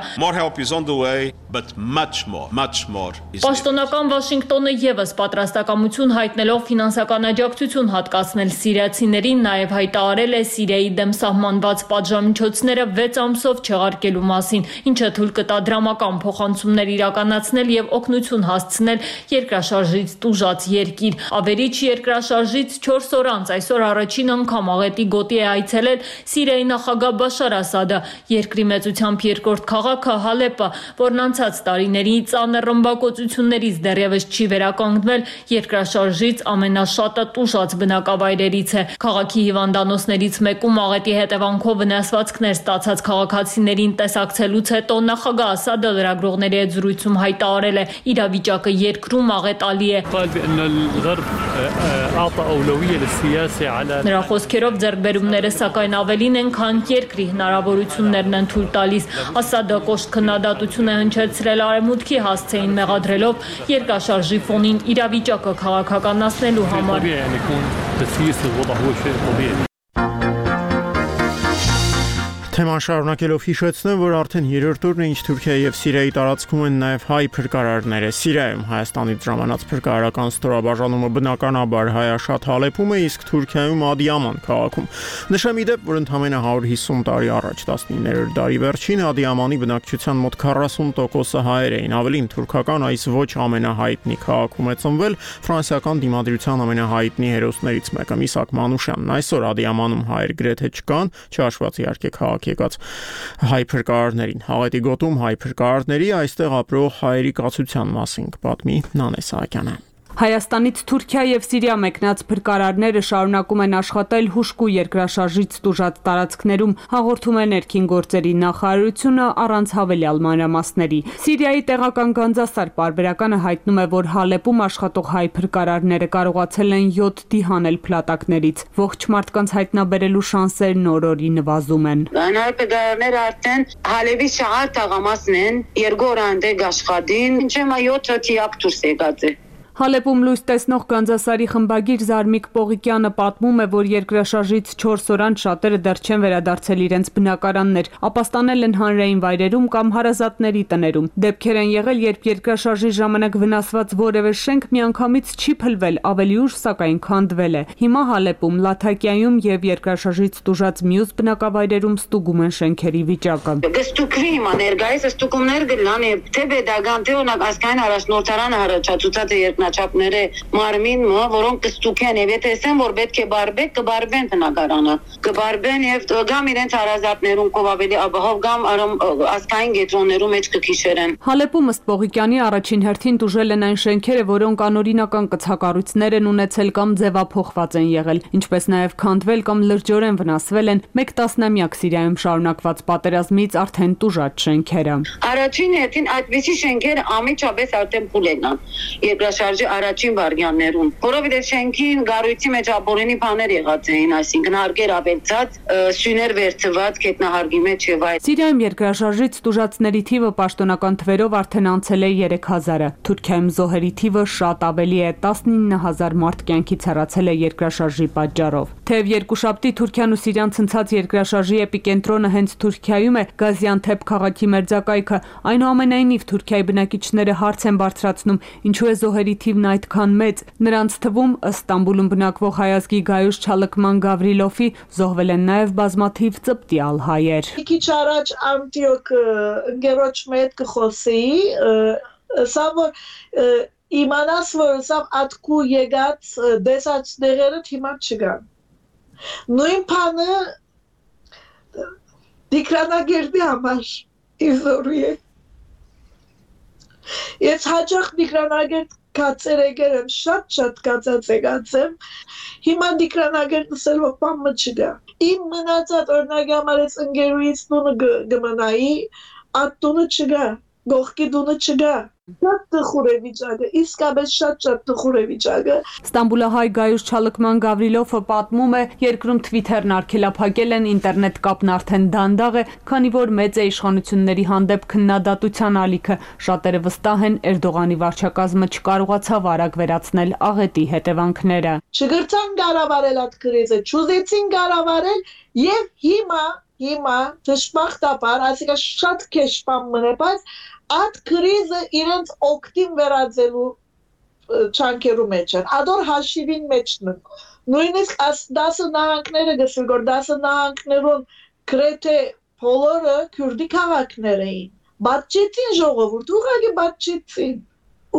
Պաշտոնական Վաշինգտոնը եւս պատրաստակամություն հայտնելով ֆինանսական աջակցություն հատկացնել սիրիացիներին, նաև հայտարարել է Սիրիայի դեմ սահմանված պատժամիջոցները 6 ամսով չեղարկելու մասին, ինչը թույլ կտա դրամական փոխանցումներ իրականացնել եւ օգնություն հասցնել երկրաշարժից տուժած երկիր։ Ավերիչ երկրաշարժից 4 օր անց այսօր առաջին անգամ աղետի գոտի է այցելել Սիրիայի նախագահ Բաշար Ասադը։ Երկրի մեծությամբ երկրորդ քաղաքը Հալեպը, որն անցած տարիների ծանր ռմբակոծություններից դեռևս չի վերականգնվել, երկրաշարժից ամենաշատը տուժած բնակավայրերից է։ Քաղաքի հիվանդանոցներից մեկում աղետի հետևանքով վնասվածքներ ստացած քաղաքացիներին տեսակցելուց հետո նախագահ Ասադը լրագրողների հետ զրույցում հայտարարել է՝ իրավիճակը երկրում աղետալի է։ Նրա խոսքերով ձեռքբերումները սակայն ավելին են, քան երկրի հնարավորություններն են թույլ տալիս։ Ասադը կոշտ քննադատություն է հնչեցրել Արևմուտքի հասցեին, մեղադրելով երկրաշարժի ֆոնին իրավիճակը քաղաքականացնելու համար։ Թեման շարունակելով հիշեցնեմ, որ արդեն 3-րդ օրն է, ինչ Թուրքիայի եւ Սիրիայի տարածքում են նաեւ հայ փրկարարները։ Սիրիայում Հայաստանից ժամանած փրկարարական ստորաբաժանումը բնականաբար հայաշատ Հալեպում է, իսկ Թուրքիայում Ադիաման քաղաքում։ Նշեմ ի դեպ, որ ընդամենը 150 տարի առաջ 19-րդ դարի վերջին Ադիամանի բնակչության մոտ 40%-ը հայեր էին։ Ավելին, թուրքական այս ոչ ամենահայտնի քաղաքում է ծնվել ֆրանսիական դիմադրության ամենահայտնի հերոսներից մեկը Միսակ Մանուշյանն։ Այսօր Ադիամանում հայեր գրեթե չկան, չհաշված իհարկե քաղաքի եկած հայ փրկարարներին։ Աղետի գոտում հայ փրկարարների այստեղ ապրող հայերի կացության մասին կպատմի Նանե Սահակյանը։ Հայաստանից Թուրքիա եւ Սիրիա մեկնած փրկարարները շարունակում են աշխատել հուժկու երկրաշարժից տուժած տարածքներում, հաղորդում է ներքին գործերի նախարարությունը առանց հավելյալ մանրամասների։ Սիրիայի տեղական Գանձասար պարբերականը հայտնում է, որ Հալեպում աշխատող հայ փրկարարները կարողացել են 7 հանել փլատակներից։ Ողջ մարդկանց հայտնաբերելու շանսերն օր-օրի նվազում են։ Հայ փրկարարները արդեն Հալեպի շահար տաղամասն են, երկու օր անտեղ աշխատին, ինչեմա 7 թիակ դուրս եկած է։ Հալեպում լույս տեսնող Գանձասարի խմբագիր Զարմիկ Պողիկյանը պատմում է, որ երկրաշարժից 4 օր անց շատերը դեռ չեն վերադարձել իրենց բնակարաններ, ապաստանել են հանրային վայրերում կամ հարազատների տներում։ Դեպքեր են եղել, երբ երկրաշարժի ժամանակ վնասված որևէ շենք միանգամից չի փլվել, ավելի ուշ սակայն քանդվել է։ Հիմա Հալեպում, Լաթակիայում եւ երկրաշարժից տուժած մյուս բնակավայրերում ստուգում են շենքերի վիճակը։ Կստուգվի հիմա ներկայիս ստուգումներ գլան, թե pedagogan, թե օրինակ ազգային առաջնորդարանը առաջացուցած է չափները մարմին, որոնք կստուգեն եւ եթե ասեն, որ պետք է բարբեք, կբարբեն տնագարանը, կբարբեն եւ գամ իրենց հարազատներում կով ավելի ապահով գամ ազգային գետրոններում մեջ կքիշերեն։ Հալեպում ըստ Պողիկյանի առաջին հերթին տուժել են այն շենքերը, որոնք անօրինական կցակառույցներ են ունեցել կամ ձևափոխված են եղել, ինչպես նաեւ քանդվել կամ լրջորեն վնասվել են 1 տասնամյակ Սիրիայում շարունակված պատերազմից արդեն տուժած շենքերը։ Առաջին հերթին այդպիսի շենքերը ամիջապես արդեն փուլեն են։ Երկրաշարժի առաջին վարյաններում, որովհետև շենքին գառույցի մեջ ապօրինի բաներ եղած էին, այսինքն հարկեր ավելցած, սյուներ վերցված գետնահարգի մեջ եւ այլ։ Սիրիայում երկրաշարժից տուժածների թիվը պաշտոնական թվերով արդեն անցել է 3000-ը։ Թուրքիայում զոհերի թիվը շատ ավելի է, 19000 մարդ կյանքից հեռացել է երկրաշարժի պատճառով։ Թեև երկուշաբթի Թուրքիան ու Սիրիան ցնցած երկրաշարժի էպիկենտրոնը հենց Թուրքիայում է, Գազիանթեփ քաղաքի մերձակայքը, այնուամենայնիվ Թուրքիայի բնակիչները հարց են բարձրացնում, ինչու է զոհերի թիվն այդքան մեծ։ Նրանց թվում ըստ Ստամբուլում բնակվող հայազգի Գայուշ Չալկման Գավրիլովի զոհվել են նաև բազմաթիվ ծպտյալ հայեր։ Քիչ առաջ Անտիոք ընկերոջ հետ կխոսեի, սա որ իմանաս որ սա ատկու եկած դեսացները հիմա չկան։ Նույն բանը դիկրանագերդի համար իզորի է։ Ես հաճախ դիկրանագերդ կացեր եկել եմ, շատ կացած եկած եմ, հիմա դիկրանագեր նսել, որ պամը չգա։ Իմ մնացած օրնագի համարեց ընգերուից տունը գմնայի, այդ տունը չգա, գողքի տունը չգա։ Շատ տխուր է վիճակը, իսկապես շատ տխուր է վիճակը։ Ստամբուլահայ Գայուշ Չալկման Գավրիլովը պատմում է, երկրում Twitter-ն արգելափակել են, ինտերնետ կապն արդեն դանդաղ է, քանի որ մեծ է իշխանությունների հանդեպ քննադատության ալիքը։ Շատերը վստահ են, Էրդողանի վարչակազմը չկարողացավ արագ վերացնել աղետի հետևանքները։ Չգրցան կառավարել այդ կրիզը, չուզեցին կառավարել եւ հիմա դժբախտաբար, այսինքն շատ քեշ բան մնա, բայց այդ կրիզը իրենց օգտին վերածելու չանքերու մեջ են, ադոր հաշիվին մեջն են, նույնիսկ 10 նահանգները գսել, որ 10 նահանգներուն գրեթե բոլորը քուրդի քաղաքներ էին, բացեցին ժողովուրդ, ուղղակի բացեցին,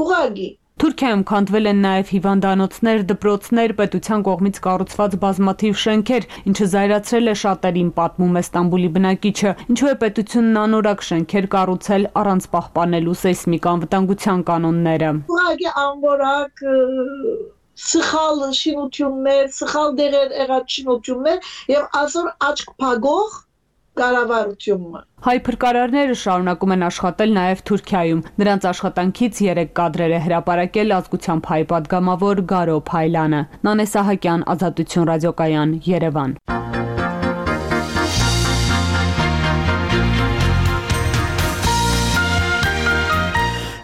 ուղղակի։ Թուրքիայում քանդվել են նաև հիվանդանոցներ, դպրոցներ, պետության կողմից կառուցված բազմաթիվ շենքեր, ինչը զայրացրել է շատերին, պատմում է Ստամբուլի բնակիչը, ինչու է պետությունն անորակ շենքեր կառուցել առանց պահպանելու սեյսմիկ անվտանգության կանոնները։ Ուղղակի անորակ սխալ շինություններ, սխալ դեղեր եղած շինություններ եւ այսօր աչք փակող կառավարությունը։ Հայ փրկարարները շարունակում են աշխատել նաև Թուրքիայում։ Նրանց աշխատանքից 3 կադրեր է հրապարակել ազգությամբ հայ պատգամավոր Գարո Փայլանը։ Նանե Սահակյան, Ազատություն ռադիոկայան, Երևան։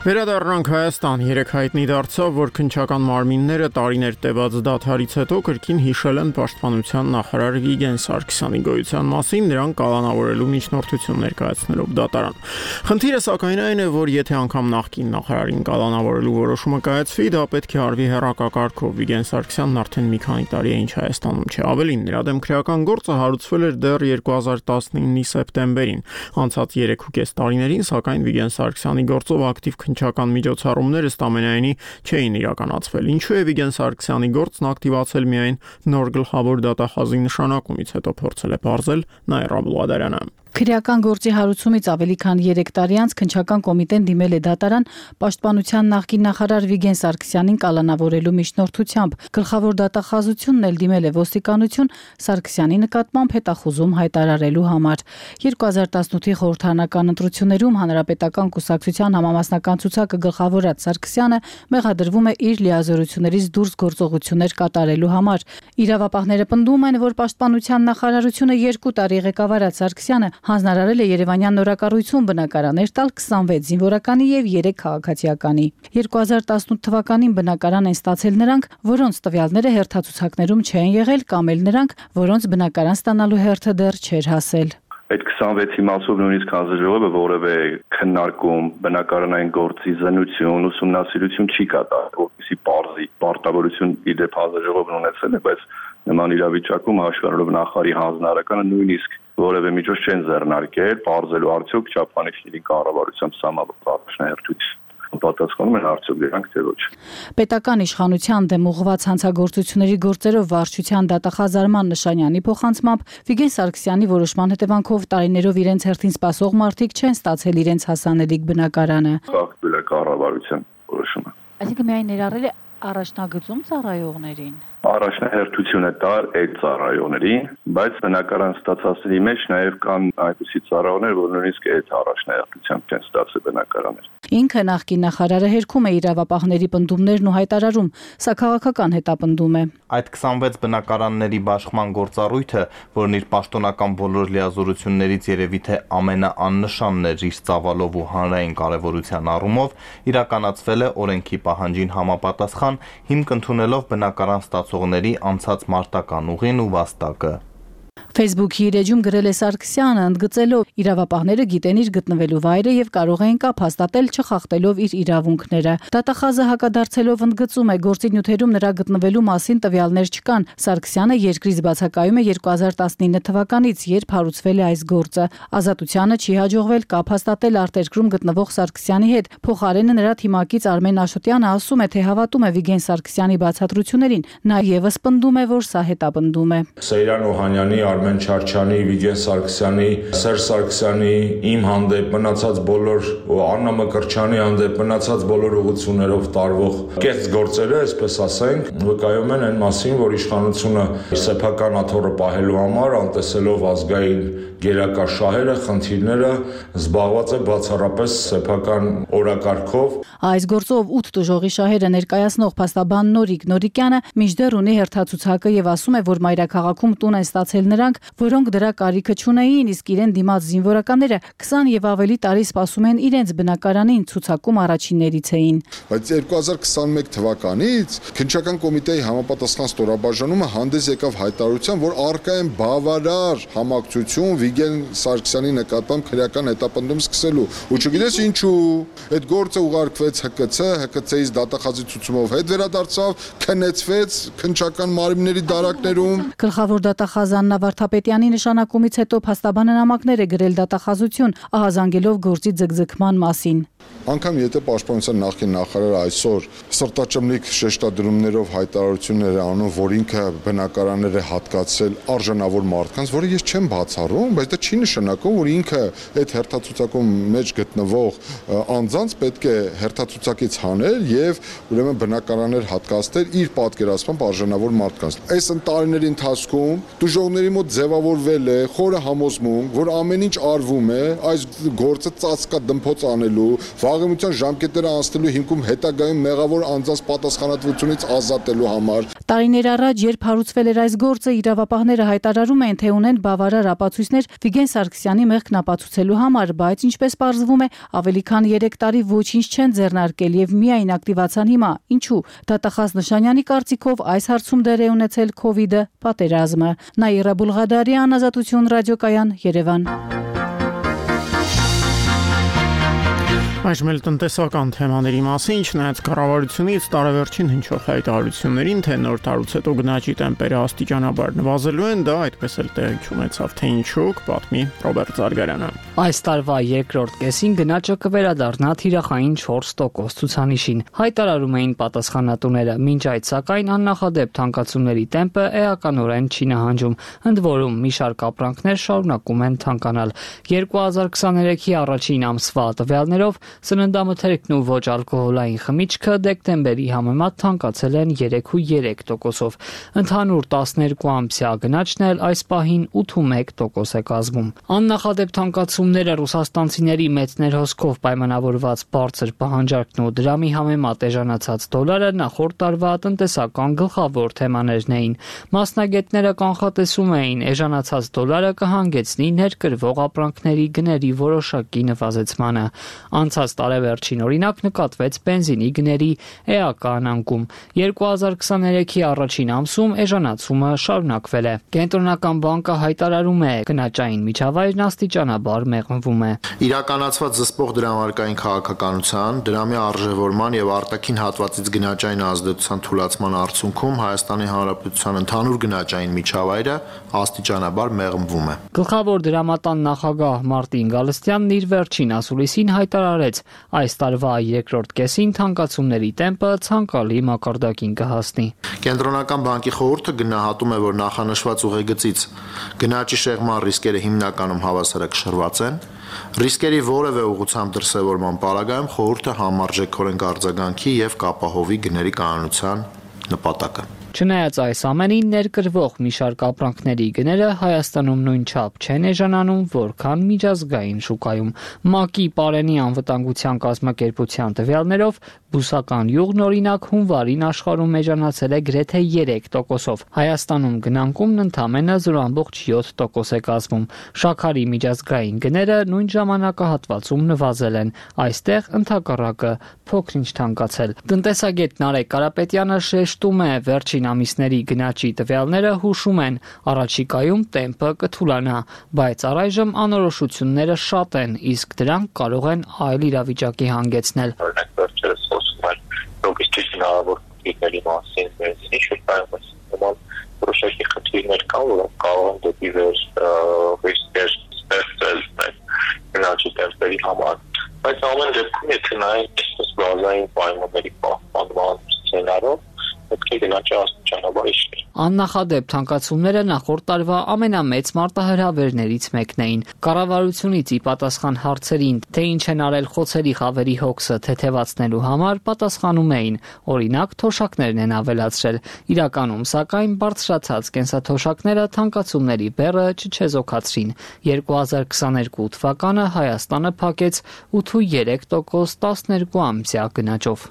Վերադառնանք Հայաստան, 3 հայտնի դարձավ, որ քննչական մարմինները տարիներ տևած դադարից հետո կրկին հիշել են պաշտպանության նախարար Վիգեն Սարգսյանի գոյության մասին, նրան կալանավորելու միջնորդություն ներկայացնելով դատարան։ Խնդիրը սակայն այն է, որ եթե անգամ նախկին նախարարին կալանավորելու որոշումը կայացվի, դա պետք է արվի հեռակակարգով։ Վիգեն Սարգսյանն արդեն մի քանի տարի է ինչ Հայաստանում չէ։ Ավելին, նրա դեմ քրեական գործը հարուցվել էր դեռ 2019-ի սեպտեմբերին։ Անցած 3.5 տարիներին, սակայն Վիգեն Սարգսյանի գործով ակտիվ քննչական միջոցառումները ստամենայնի չէին իրականացվել։ Ինչու է Վիգեն Սարգսյանի գործն ակտիվացել միայն նոր գլխավոր դատախազի նշանակումից հետո, փորձել է պարզել Նաիրա Բուլադարյանը։ Քրեական գործի հարուցումից ավելի քան 3 տարի անց քննչական կոմիտեն դիմել է դատարան պաշտպանության նախկին նախարար Վիգեն Սարգսյանին կալանավորելու միջնորդությամբ։ Գլխավոր դատախազությունն էլ դիմել է ոստիկանություն Սարգսյանի նկատմամբ հետախուզում հայտարարելու համար։ 2018-ի խորհրդարանական ընտրություններում Հանրապետական կուսակցության համամասնական ցուցակը գլխավորած Սարգսյանը մեղադրվում է իր լիազորություններից դուրս գործողություններ կատարելու համար։ Իրավապահները պնդում են, որ պաշտպանության նախարարությունը 2 տարի ղեկավարած Սարգսյանը հանձնարարել է Երևանյան նորակառույցում բնակարաններ տալ 26 զինվորականի եւ 3 քաղաքացիականի։ 2018 թվականին բնակարան են ստացել նրանք, որոնց տվյալները հերթացուցակներում չեն եղել, կամ էլ նրանք, որոնց բնակարան ստանալու հերթը դեռ չէր հասել։ Այդ 26-ի մասով նույնիսկ հանձնաժողովը որևէ քննարկում, բնակարանային գործի զննություն, ուսումնասիրություն չի կատարել, որպեսզի բարձի պարտավորություն իդեպ հանձնաժողովն ունեցել է, բայց նման իրավիճակում հաշվառելով նախարարի հանձնարարականը նույնիսկ որևէ միջոց չեն ձեռնարկել, բարձելու արդյոք Չափանիշների կառավարությամբ սահմանված առաջնահերթություն պատասխանում են արդյոք դրանք թե ոչ։ Պետական իշխանության դեմ ուղղված հանցագործությունների գործերով վարչության դատախազ Արման Նշանյանի փոխանցմամբ Վիգեն Սարգսյանի որոշման հետևանքով տարիներով իրենց հերթին սպասող մարդիկ չեն ստացել իրենց հասանելիք բնակարանը։ Խախտվել է կառավարության որոշումը։ Այսինքն միայն ներառել է առաջնագծում ծառայողներին։ Առաջնահերթություն է տար այդ ծառայողներին, բայց բնակարան ստացածների մեջ նաև կան այնպիսի ծառայողներ, որ նույնիսկ այդ առաջնահերթությամբ չեն ստացել բնակարաններ։ Ինքը նախկին նախարարը հերքում է իրավապահների պնդումներն ու հայտարարում, սա քաղաքական հետապնդում է։ Այդ 26 բնակարանների բաշխման գործառույթը, որն իր պաշտոնական բոլոր լիազորություններից երևի թե ամենաաննշանն էր իր ծավալով ու հանրային կարևորության առումով, իրականացվել է օրենքի պահանջին համապատասխան, հիմք ընդունելով բնակարան ստացողների անցած մարտական ուղին ու վաստակը։ Facebook-ի իր էջում գրել է Սարգսյանը, ընդգծելով իրավապահները գիտեն իր գտնվելու վայրը եւ կարող են կապ հաստատել չխախտելով իր իրավունքները։ Դատախազը հակադարձելով ընդգծում է, գործի նյութերում նրա գտնվելու մասին տվյալներ չկան։ Սարգսյանը երկրից բացակայում է 2019 թվականից, երբ հարուցվել է այս գործը։ Ազատությանը չի հաջողվել կապ հաստատել արտերկրում գտնվող Սարգսյանի հետ։ Փոխարենը նրա թիմակից Արմեն Աշոտյանը ասում է, թե հավատում է Վիգեն Սարգսյանի բացատրություններին։ Նա եւս պնդում է, որ սա հետապնդում է։ Սեյրան Օհանյանի Արմեն Չարչյանի, Վիգեն Սարգսյանի, Սերժ Սարգսյանի, իմ հանդեպ մնացած բոլոր Աննա Մկրտչյանի հանդեպ մնացած բոլոր ուղղություններով տարվող կեղծ գործերը, այսպես ասենք, վկայում են այն մասին, որ իշխանությունը սեփական աթոռը պահելու համար, անտեսելով ազգային գերակա շահերը, խնդիրները, զբաղված է բացառապես սեփական օրակարգով։ Այս գործով 8 տուժողի շահերը ներկայացնող փաստաբան Նորիկ Նորիկյանը մինչդեռ ունի հերթացուցակը եւ ասում է, որ մայրաքաղաքում տուն են ստացել նրանք, որոնք դրա կարիքը չունեին, իսկ իրեն դիմաց զինվորականները 20 եւ ավելի տարի սպասում են իրենց բնակարանին, ցուցակում առաջիններից էին։ Բայց 2021 թվականից քննչական կոմիտեի համապատասխան ստորաբաժանումը հանդես եկավ հայտարարությամբ, որ առկա են բավարար համակցություն Վիգեն Սարգսյանի նկատմամբ քրեական հետապնդում սկսելու։ Ու չգիտես ինչու, այդ գործը ուղարկվեց ՀԿՑ-ից դատախազի ցուցումով հետ վերադարձավ, քննեցվեց քննչական մարմինների դարակներում։ Գլխավոր դատախազ Աննա Վարդապետյանի նշանակումից հետո փաստաբանը նամակներ է գրել դատախազություն, ահազանգելով գործի ձգձգման մասին։ Անկամ եթե Պաշտպանության նախկին նախարարը այսօր սրտաճմլիկ շեշտադրումներով հայտարարություններ է անում, որ ինքը բնակարաններ է հատկացրել արժանավոր մարդկանց, որը ես չեմ բացառում, բայց դա չի նշանակում, որ ինքը այդ հերթացուցակում մեջ գտնվող անձանց պետք է հերթացուցակից հանել եւ ուրեմն բնակարաններ հատկացնել իր պատկերացմամբ արժանավոր մարդկանց։ Այս տարիների ընթացքում դժողների մոտ ձևավորվել է խորը համոզմունք, որ ամեն ինչ արվում է այս գործը ծածկա դմփոց անելու, վաղեմության ժամկետները անցնելու հիմքում հետագայում մեղավոր անձանց պատասխանատվությունից ազատելու համար։ Տարիներ առաջ, երբ հարուցվել էր այս գործը, իրավապահները հայտարարում են, թե ունեն բավարար ապացույցներ Վիգեն Սարգսյանի մեղքն ապացուցելու համար, բայց ինչպես պարզվում է, ավելի քան 3 տարի ոչինչ չեն ձեռնարկել եւ միայն ակտիվացան հիմա։ Ինչու՞։ Դատախազ Նշանյանի կարծիքով այս հարցում դեր է ունեցել կ՛օՎԻԴ-ը, պատերազմը։ Նաիրա Բուլղադարյան, Ազատություն ռադիոկայան, Երևան։ Այժմ էլ տնտեսական թեմաների մասին, չնայած կառավարությունից տարեվերջին հնչող հայտարարություններին, թե նոր տարուց հետո գնաճի տեմպերը աստիճանաբար նվազելու են, դա այդպես էլ տեղի չունեցավ, թե ինչու, կպատմի Ռոբերտ Զարգարյանը։ Այս տարվա երկրորդ կեսին գնաճը կվերադառնա թիրախային 4% ցուցանիշին, հայտարարում էին պատասխանատուները, մինչ այդ սակայն աննախադեպ թանկացումների տեմպը էականորեն չի նահանջում, ընդ որում մի շարք ապրանքներ շարունակում են թանկանալ։ 2023-ի առաջին ամսվա տվյալներով սննդամթերքն ու ոչ ալկոհոլային խմիչքը դեկտեմբերի համեմատ թանկացել են 3.3%-ով։ Ընդհանուր 12 ամսյա գնաճն էլ այս պահին 8.1% է կազմում։ Աննախադեպ թանկացումները ռուսաստանցիների մեծ ներհոսքով պայմանավորված բարձր պահանջարկն ու դրամի համեմատ էժանացած դոլարը նախորդ տարվա տնտեսական գլխավոր թեմաներն էին։ Մասնագետները կանխատեսում էին, էժանացած դոլարը կհանգեցնի ներկրվող ապրանքների գների որոշակի նվազեցմանը։ Անցած տարեվերջին օրինակ նկատվեց բենզինի գների էական անկում։ 2023-ի առաջին ամսում էժանացումը շարունակվել է։ Կենտրոնական բանկը հայտարարում է, գնաճային միջավայրն աստիճանաբար մեղմվում է։ Իրականացված զսպող դրամարկային քաղաքականության, դրամի արժևորման եւ արտաքին հատվածից գնաճային ազդեցության թուլացման արդյունքում Հայաստանի Հանրապետության ընդհանուր գնաճային միջավայրը աստիճանաբար մեղմվում է։ Գլխավոր դրամատան նախագահ Մարտին Գալստյանն իր վերջին ասուլիսին հայտարարեց, այս տարվա երկրորդ կեսին թանկացումների տեմպը ցանկալի մակարդակին կհասնի։ Կենտրոնական բանկի խորհուրդը գնահատում է, որ նախանշված ուղեգծից գնաճի շեղման ռիսկերը հիմնականում հավասարակշռված են։ Ռիսկերի որևէ ուղղությամբ դրսևորման պարագայում խորհուրդը համարժեքորեն կարձագանքի եւ կապահովի գների կանոնության նպատակը։ Չնայած այս ամենին, ներկրվող մի շարք ապրանքների գները Հայաստանում նույնչափ չեն էժանանում, որքան միջազգային շուկայում։ ՄԱԿ-ի Պարենի անվտանգության կազմակերպության տվյալներով բուսական յուղն օրինակ հունվարին աշխարհում էժանացել է գրեթե 3%-ով։ Հայաստանում գնանկումն ընդամենը 0.7% է կազմում։ Շաքարի միջազգային գները նույն ժամանակահատվածում նվազել են։ Այստեղ ընդհակառակը փոքրինչ թանկացել։ Տնտեսագետ Նարեկ Կարապետյանը շեշտում է, վերջին ամիսների գնաճի տվյալները հուշում են, առաջիկայում տեմպը կթուլանա, բայց առայժմ անորոշությունները շատ են, իսկ դրանք կարող են այլ իրավիճակի հանգեցնել։ Օրինակ վերջերս խոսում են լոգիստիկ հնարավոր խնդիրների մասին, բենզինի շուկայում, նման որոշակի խնդիրներ կան, որոնք կարող են դեպի վեր ռիսկեր ստեղծել գնաճի տեմպերի համար։ Բայց ամեն դեպքում, եթե նայենք բազային պայմանների պահպանման սցենարով, պետք է գնաճը ճանապարհ իջներ։ Աննախադեպ թանկացումները նախորդ տարվա ամենամեծ մարտահրավերներից մեկն էին։ Կառավարությունից ի պատասխան հարցերին, թե ինչ են արել խոցերի խավերի հոգսը թեթևացնելու համար, պատասխանում էին, օրինակ, թոշակներն են ավելացրել։ Իրականում, սակայն, բարձրացած կենսաթոշակները թանկացումների բեռը չչեզոքացրին։ 2022 թվականը Հայաստանը փակեց 8.3% 12 ամսյա գնաճով։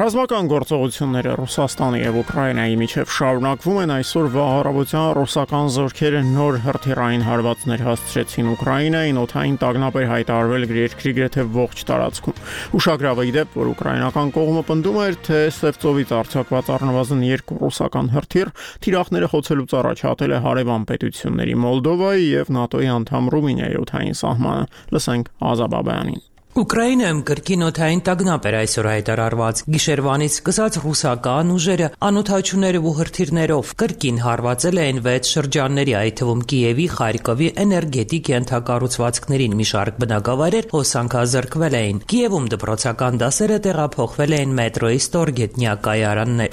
Ռազմական գործողությունները Ռուսաստանի եւ Ուկրաինայի միջև շարունակվում են։ Այսօր վաղարավության ռուսական զորքերը նոր հրթիռային հարվածներ հասցրեցին Ուկրաինային, օդային տագնապ էր հայտարարվել երկրի գրեթե ողջ տարածքում։ Ուշագրավ է դեպ, որ ուկրաինական կողմը պնդում էր, թե Սևծովից արձակված առնվազն 2 ռուսական հրթիռ թիրախները խոցելուց առաջ հատել է հարևան պետությունների Մոլդովայի եւ ՆԱՏՕ-ի անդամ Ռումինիայի օդային սահմանը։ Լսենք Ազաբաբյանին։ Ուկրաինայում կրկին օդային տագնապ էր այսօր հայտարարված։ Գիշերվանից սկսած ռուսական ուժերը անօդաչուներով ու հրթիռներով կրկին հարվածել էին 6 շրջանների, այդ թվում Կիևի, Խարկովի էներգետիկ ենթակառուցվածքներին մի շարք բնակավայրեր հոսանքազրկվել էին։ Կիևում դպրոցական դասերը տեղափոխվել էին մետրոյի ստորգետնյա կայարաններ։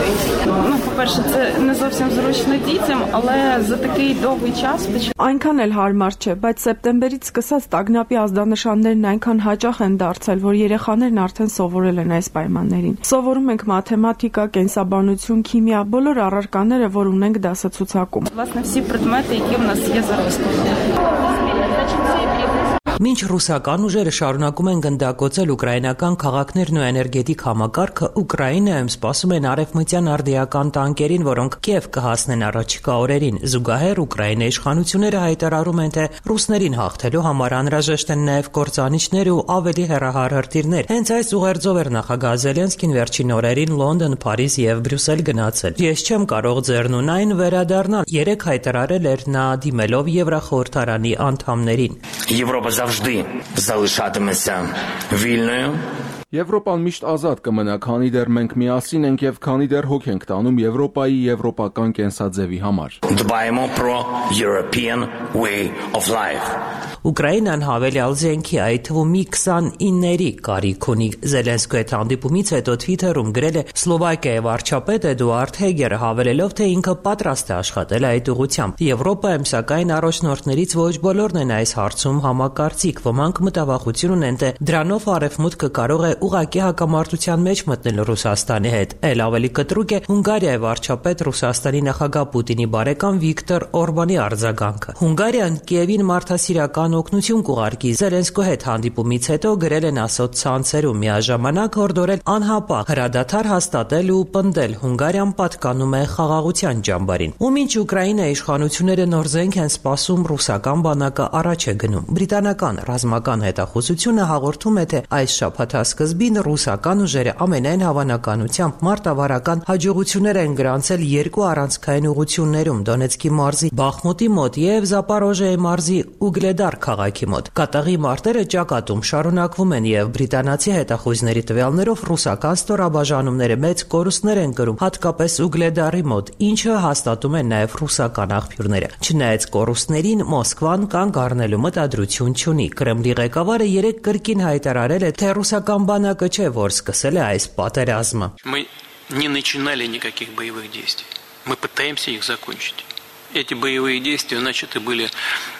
Այնքան էլ հարմար չէ, բայց սեպտեմբերից սկսած տագնապի ազդանշաններն այնքան հաճախ են դարձել, որ երեխաներն արդեն սովորել են այս պայմաններին։ Սովորում ենք մաթեմատիկա, կենսաբանություն, քիմիա, բոլոր առարկաները, որ ունենք դասացուցակում։ Մինչ ռուսական ուժերը շարունակում են գնդակոծել ուկրաինական քաղաքներն ու էներգետիկ համակարգը, Ուկրաինայում սպասում են արևմտյան արդիական տանկերին, որոնք Կիև կհասնեն առաջիկա օրերին։ Զուգահեռ Ուկրաինայի իշխանությունները հայտարարում են, թե ռուսներին հաղթելու համար անհրաժեշտ են նաև կործանիչներ ու ավելի հեռահար հրթիռներ։ Հենց այս ուղերձով էր նախագահ Զելենսկին վերջին օրերին Լոնդոն, Փարիզ եւ Բրյուսել գնացել։ Ես չեմ կարող ձեռնունայն վերադառնալ, երեք հայտարարել էր նա դիմելով Եվրախորհրդարանի անդամներին։ Завжди залишатиметься вільною. Եվրոպան միշտ ազատ կմնա, քանի դեռ մենք միասին ենք եւ քանի դեռ հոգ ենք տանում Եվրոպայի եվրոպական կենսաձևի համար։ Dbaємо про European way of life. Ուկրաինան հավելյալ զենքի, այդ թվում մի 29-երի կարիք ունի։ Զելենսկու հետ հանդիպումից հետո Twitter-ում գրել է Սլովակիայի վարչապետ Էդուարդ Հեգերը, հավելելով, թե ինքը պատրաստ է աշխատել այդ ուղղությամբ։ Եվրոպայում, սակայն, առաջնորդներից ոչ բոլորն են այս հարցում համակարծիք։ Ոմանք մտավախություն ունեն, թե դրանով Արևմուտքը կարող է ուղղակի հակամարտության մեջ մտնել Ռուսաստանի հետ։ Էլ ավելի կտրուկ է Հունգարիայի վարչապետ Ռուսաստանի նախագահ Պուտինի բարեկամ Վիկտոր Օրբանի արձագանքը։ Հունգարիան Կիևին մարդասիրական օգնություն կուղարկի։ Զելենսկու հետ հանդիպումից հետո գրել են ասոցցանցերում, միաժամանակ հորդորել անհապաղ հրադադար հաստատել ու պնդել Հունգարիան պատկանում է խաղաղության ճամբարին։ Ու մինչ Ուկրաինայի իշխանությունները նոր զենք են սպասում, ռուսական բանակը առաջ է գնում։ Բրիտանական ռազմական հետախուզությունը հաղորդում է, թե այս շաբաթասկզբին ռուսական ուժերը ամենայն հավանականությամբ մարտավարական հաջողություններ են գրանցել 2 առանցքային ուղղություններում՝ Դոնեցկի մարզի Բախմուտի մոտ եւ Զապարոժիայի մարզի Ուգլեդար քաղաքի մոտ։ Կատաղի մարտերը ճակատում շարունակվում են եւ բրիտանացի հետախույզների տվյալներով ռուսական ստորաբաժանումները մեծ կորուստներ են կրում, հատկապես Ուգլեդարի մոտ, ինչը հաստատում են նաեւ ռուսական աղբյուրները։ Չնայած կորուստներին, Մոսկվան կանգ առնելու մտադրություն չունի։ Կրեմլի ղեկավարը երեկ կրկին հայտարարել է, թե ռուսական բանակը չէ, որ սկսել է այս պատերազմը։ Мы не начинали никаких боевых действий. Мы пытаемся их закончить. Эти боевые действия начаты были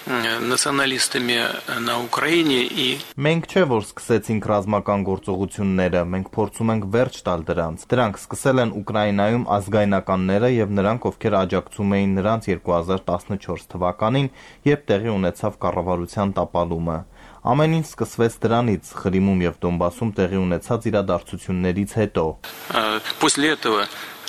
националистами на Украине и Մենք չէ որ սկսեցինք ռազմական գործողությունները, մենք փորձում ենք վերջ տալ դրանց։ Դրանք սկսել են Ուկրաինայում ազգայնականները եւ նրանք, ովքեր աջակցում էին նրանց 2014 թվականին, երբ տեղի ունեցավ կառավարության տապալումը։ Ամեն ինչ սկսվեց դրանից, Խրիմում եւ Դոնբասում տեղի ունեցած իրադարձություններից հետո։ После этого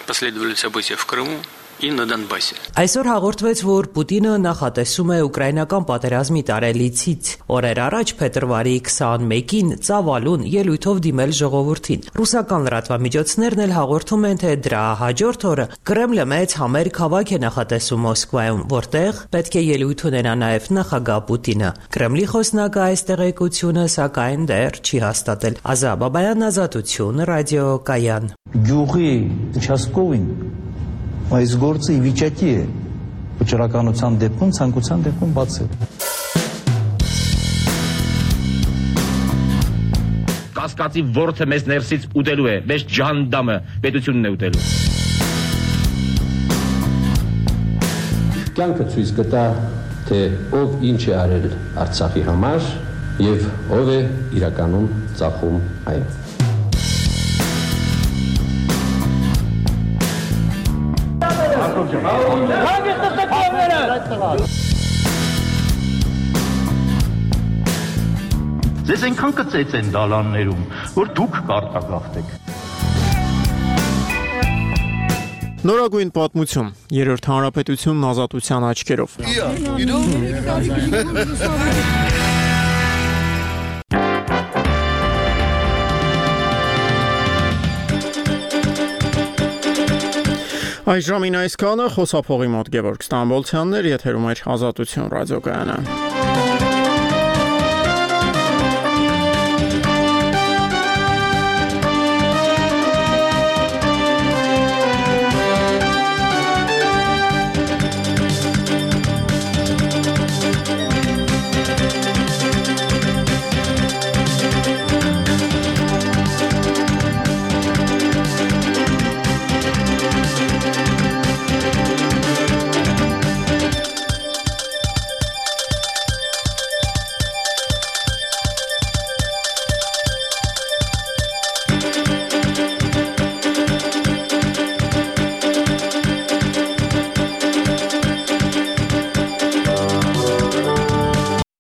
последовали события в Крыму и на Донбассе. Այսօր հաղորդվեց, որ Պուտինը նախատեսում է ուկրաինական պատերազմի տարելիցից օրեր առաջ փետրվարի 21-ին Ծավալուն ելույթով դիմել ժողովրդին։ Ռուսական լրատվամիջոցներն էլ հաղորդում են, թե դրա հաջորդ օրը Կրեմլը մեծ համերգ հավաք է նախատեսում Մոսկվայում, որտեղ պետք է ելույթ ունենա նաև նախագահ Պուտինը։ Կրեմլի խոսնակը այս տեղեկությունը սակայն դեռ չի հաստատել։ Ազաբաբայան, Ազատություն, ռադիոկայան։ Գյուղի Չասկովին այս գործը վիճակի է Վճռականության դեպքում, ցանկության դեպքում բացել։ Կասկածի ворթը մեզ ներսից ուտելու է, մեզ ջանդամը պետությունն է ուտելու։ Կյանքը ցույց կտա, թե ով ինչ է արել Արցախի համար եւ ով է իրականում ծախում այն։ Ձեզ այնքան կծեց են դալաններում, որ դուք կարտագաղթեք։ Նորագույն պատմություն, երրորդ հանրապետությունն ազատության աչքերով։ Այժմին այսքանը, խոսափողի մոտ Գևորգ Ստամբոլցյանն էր, եթերում էր Ազատություն ռադիոկայանը։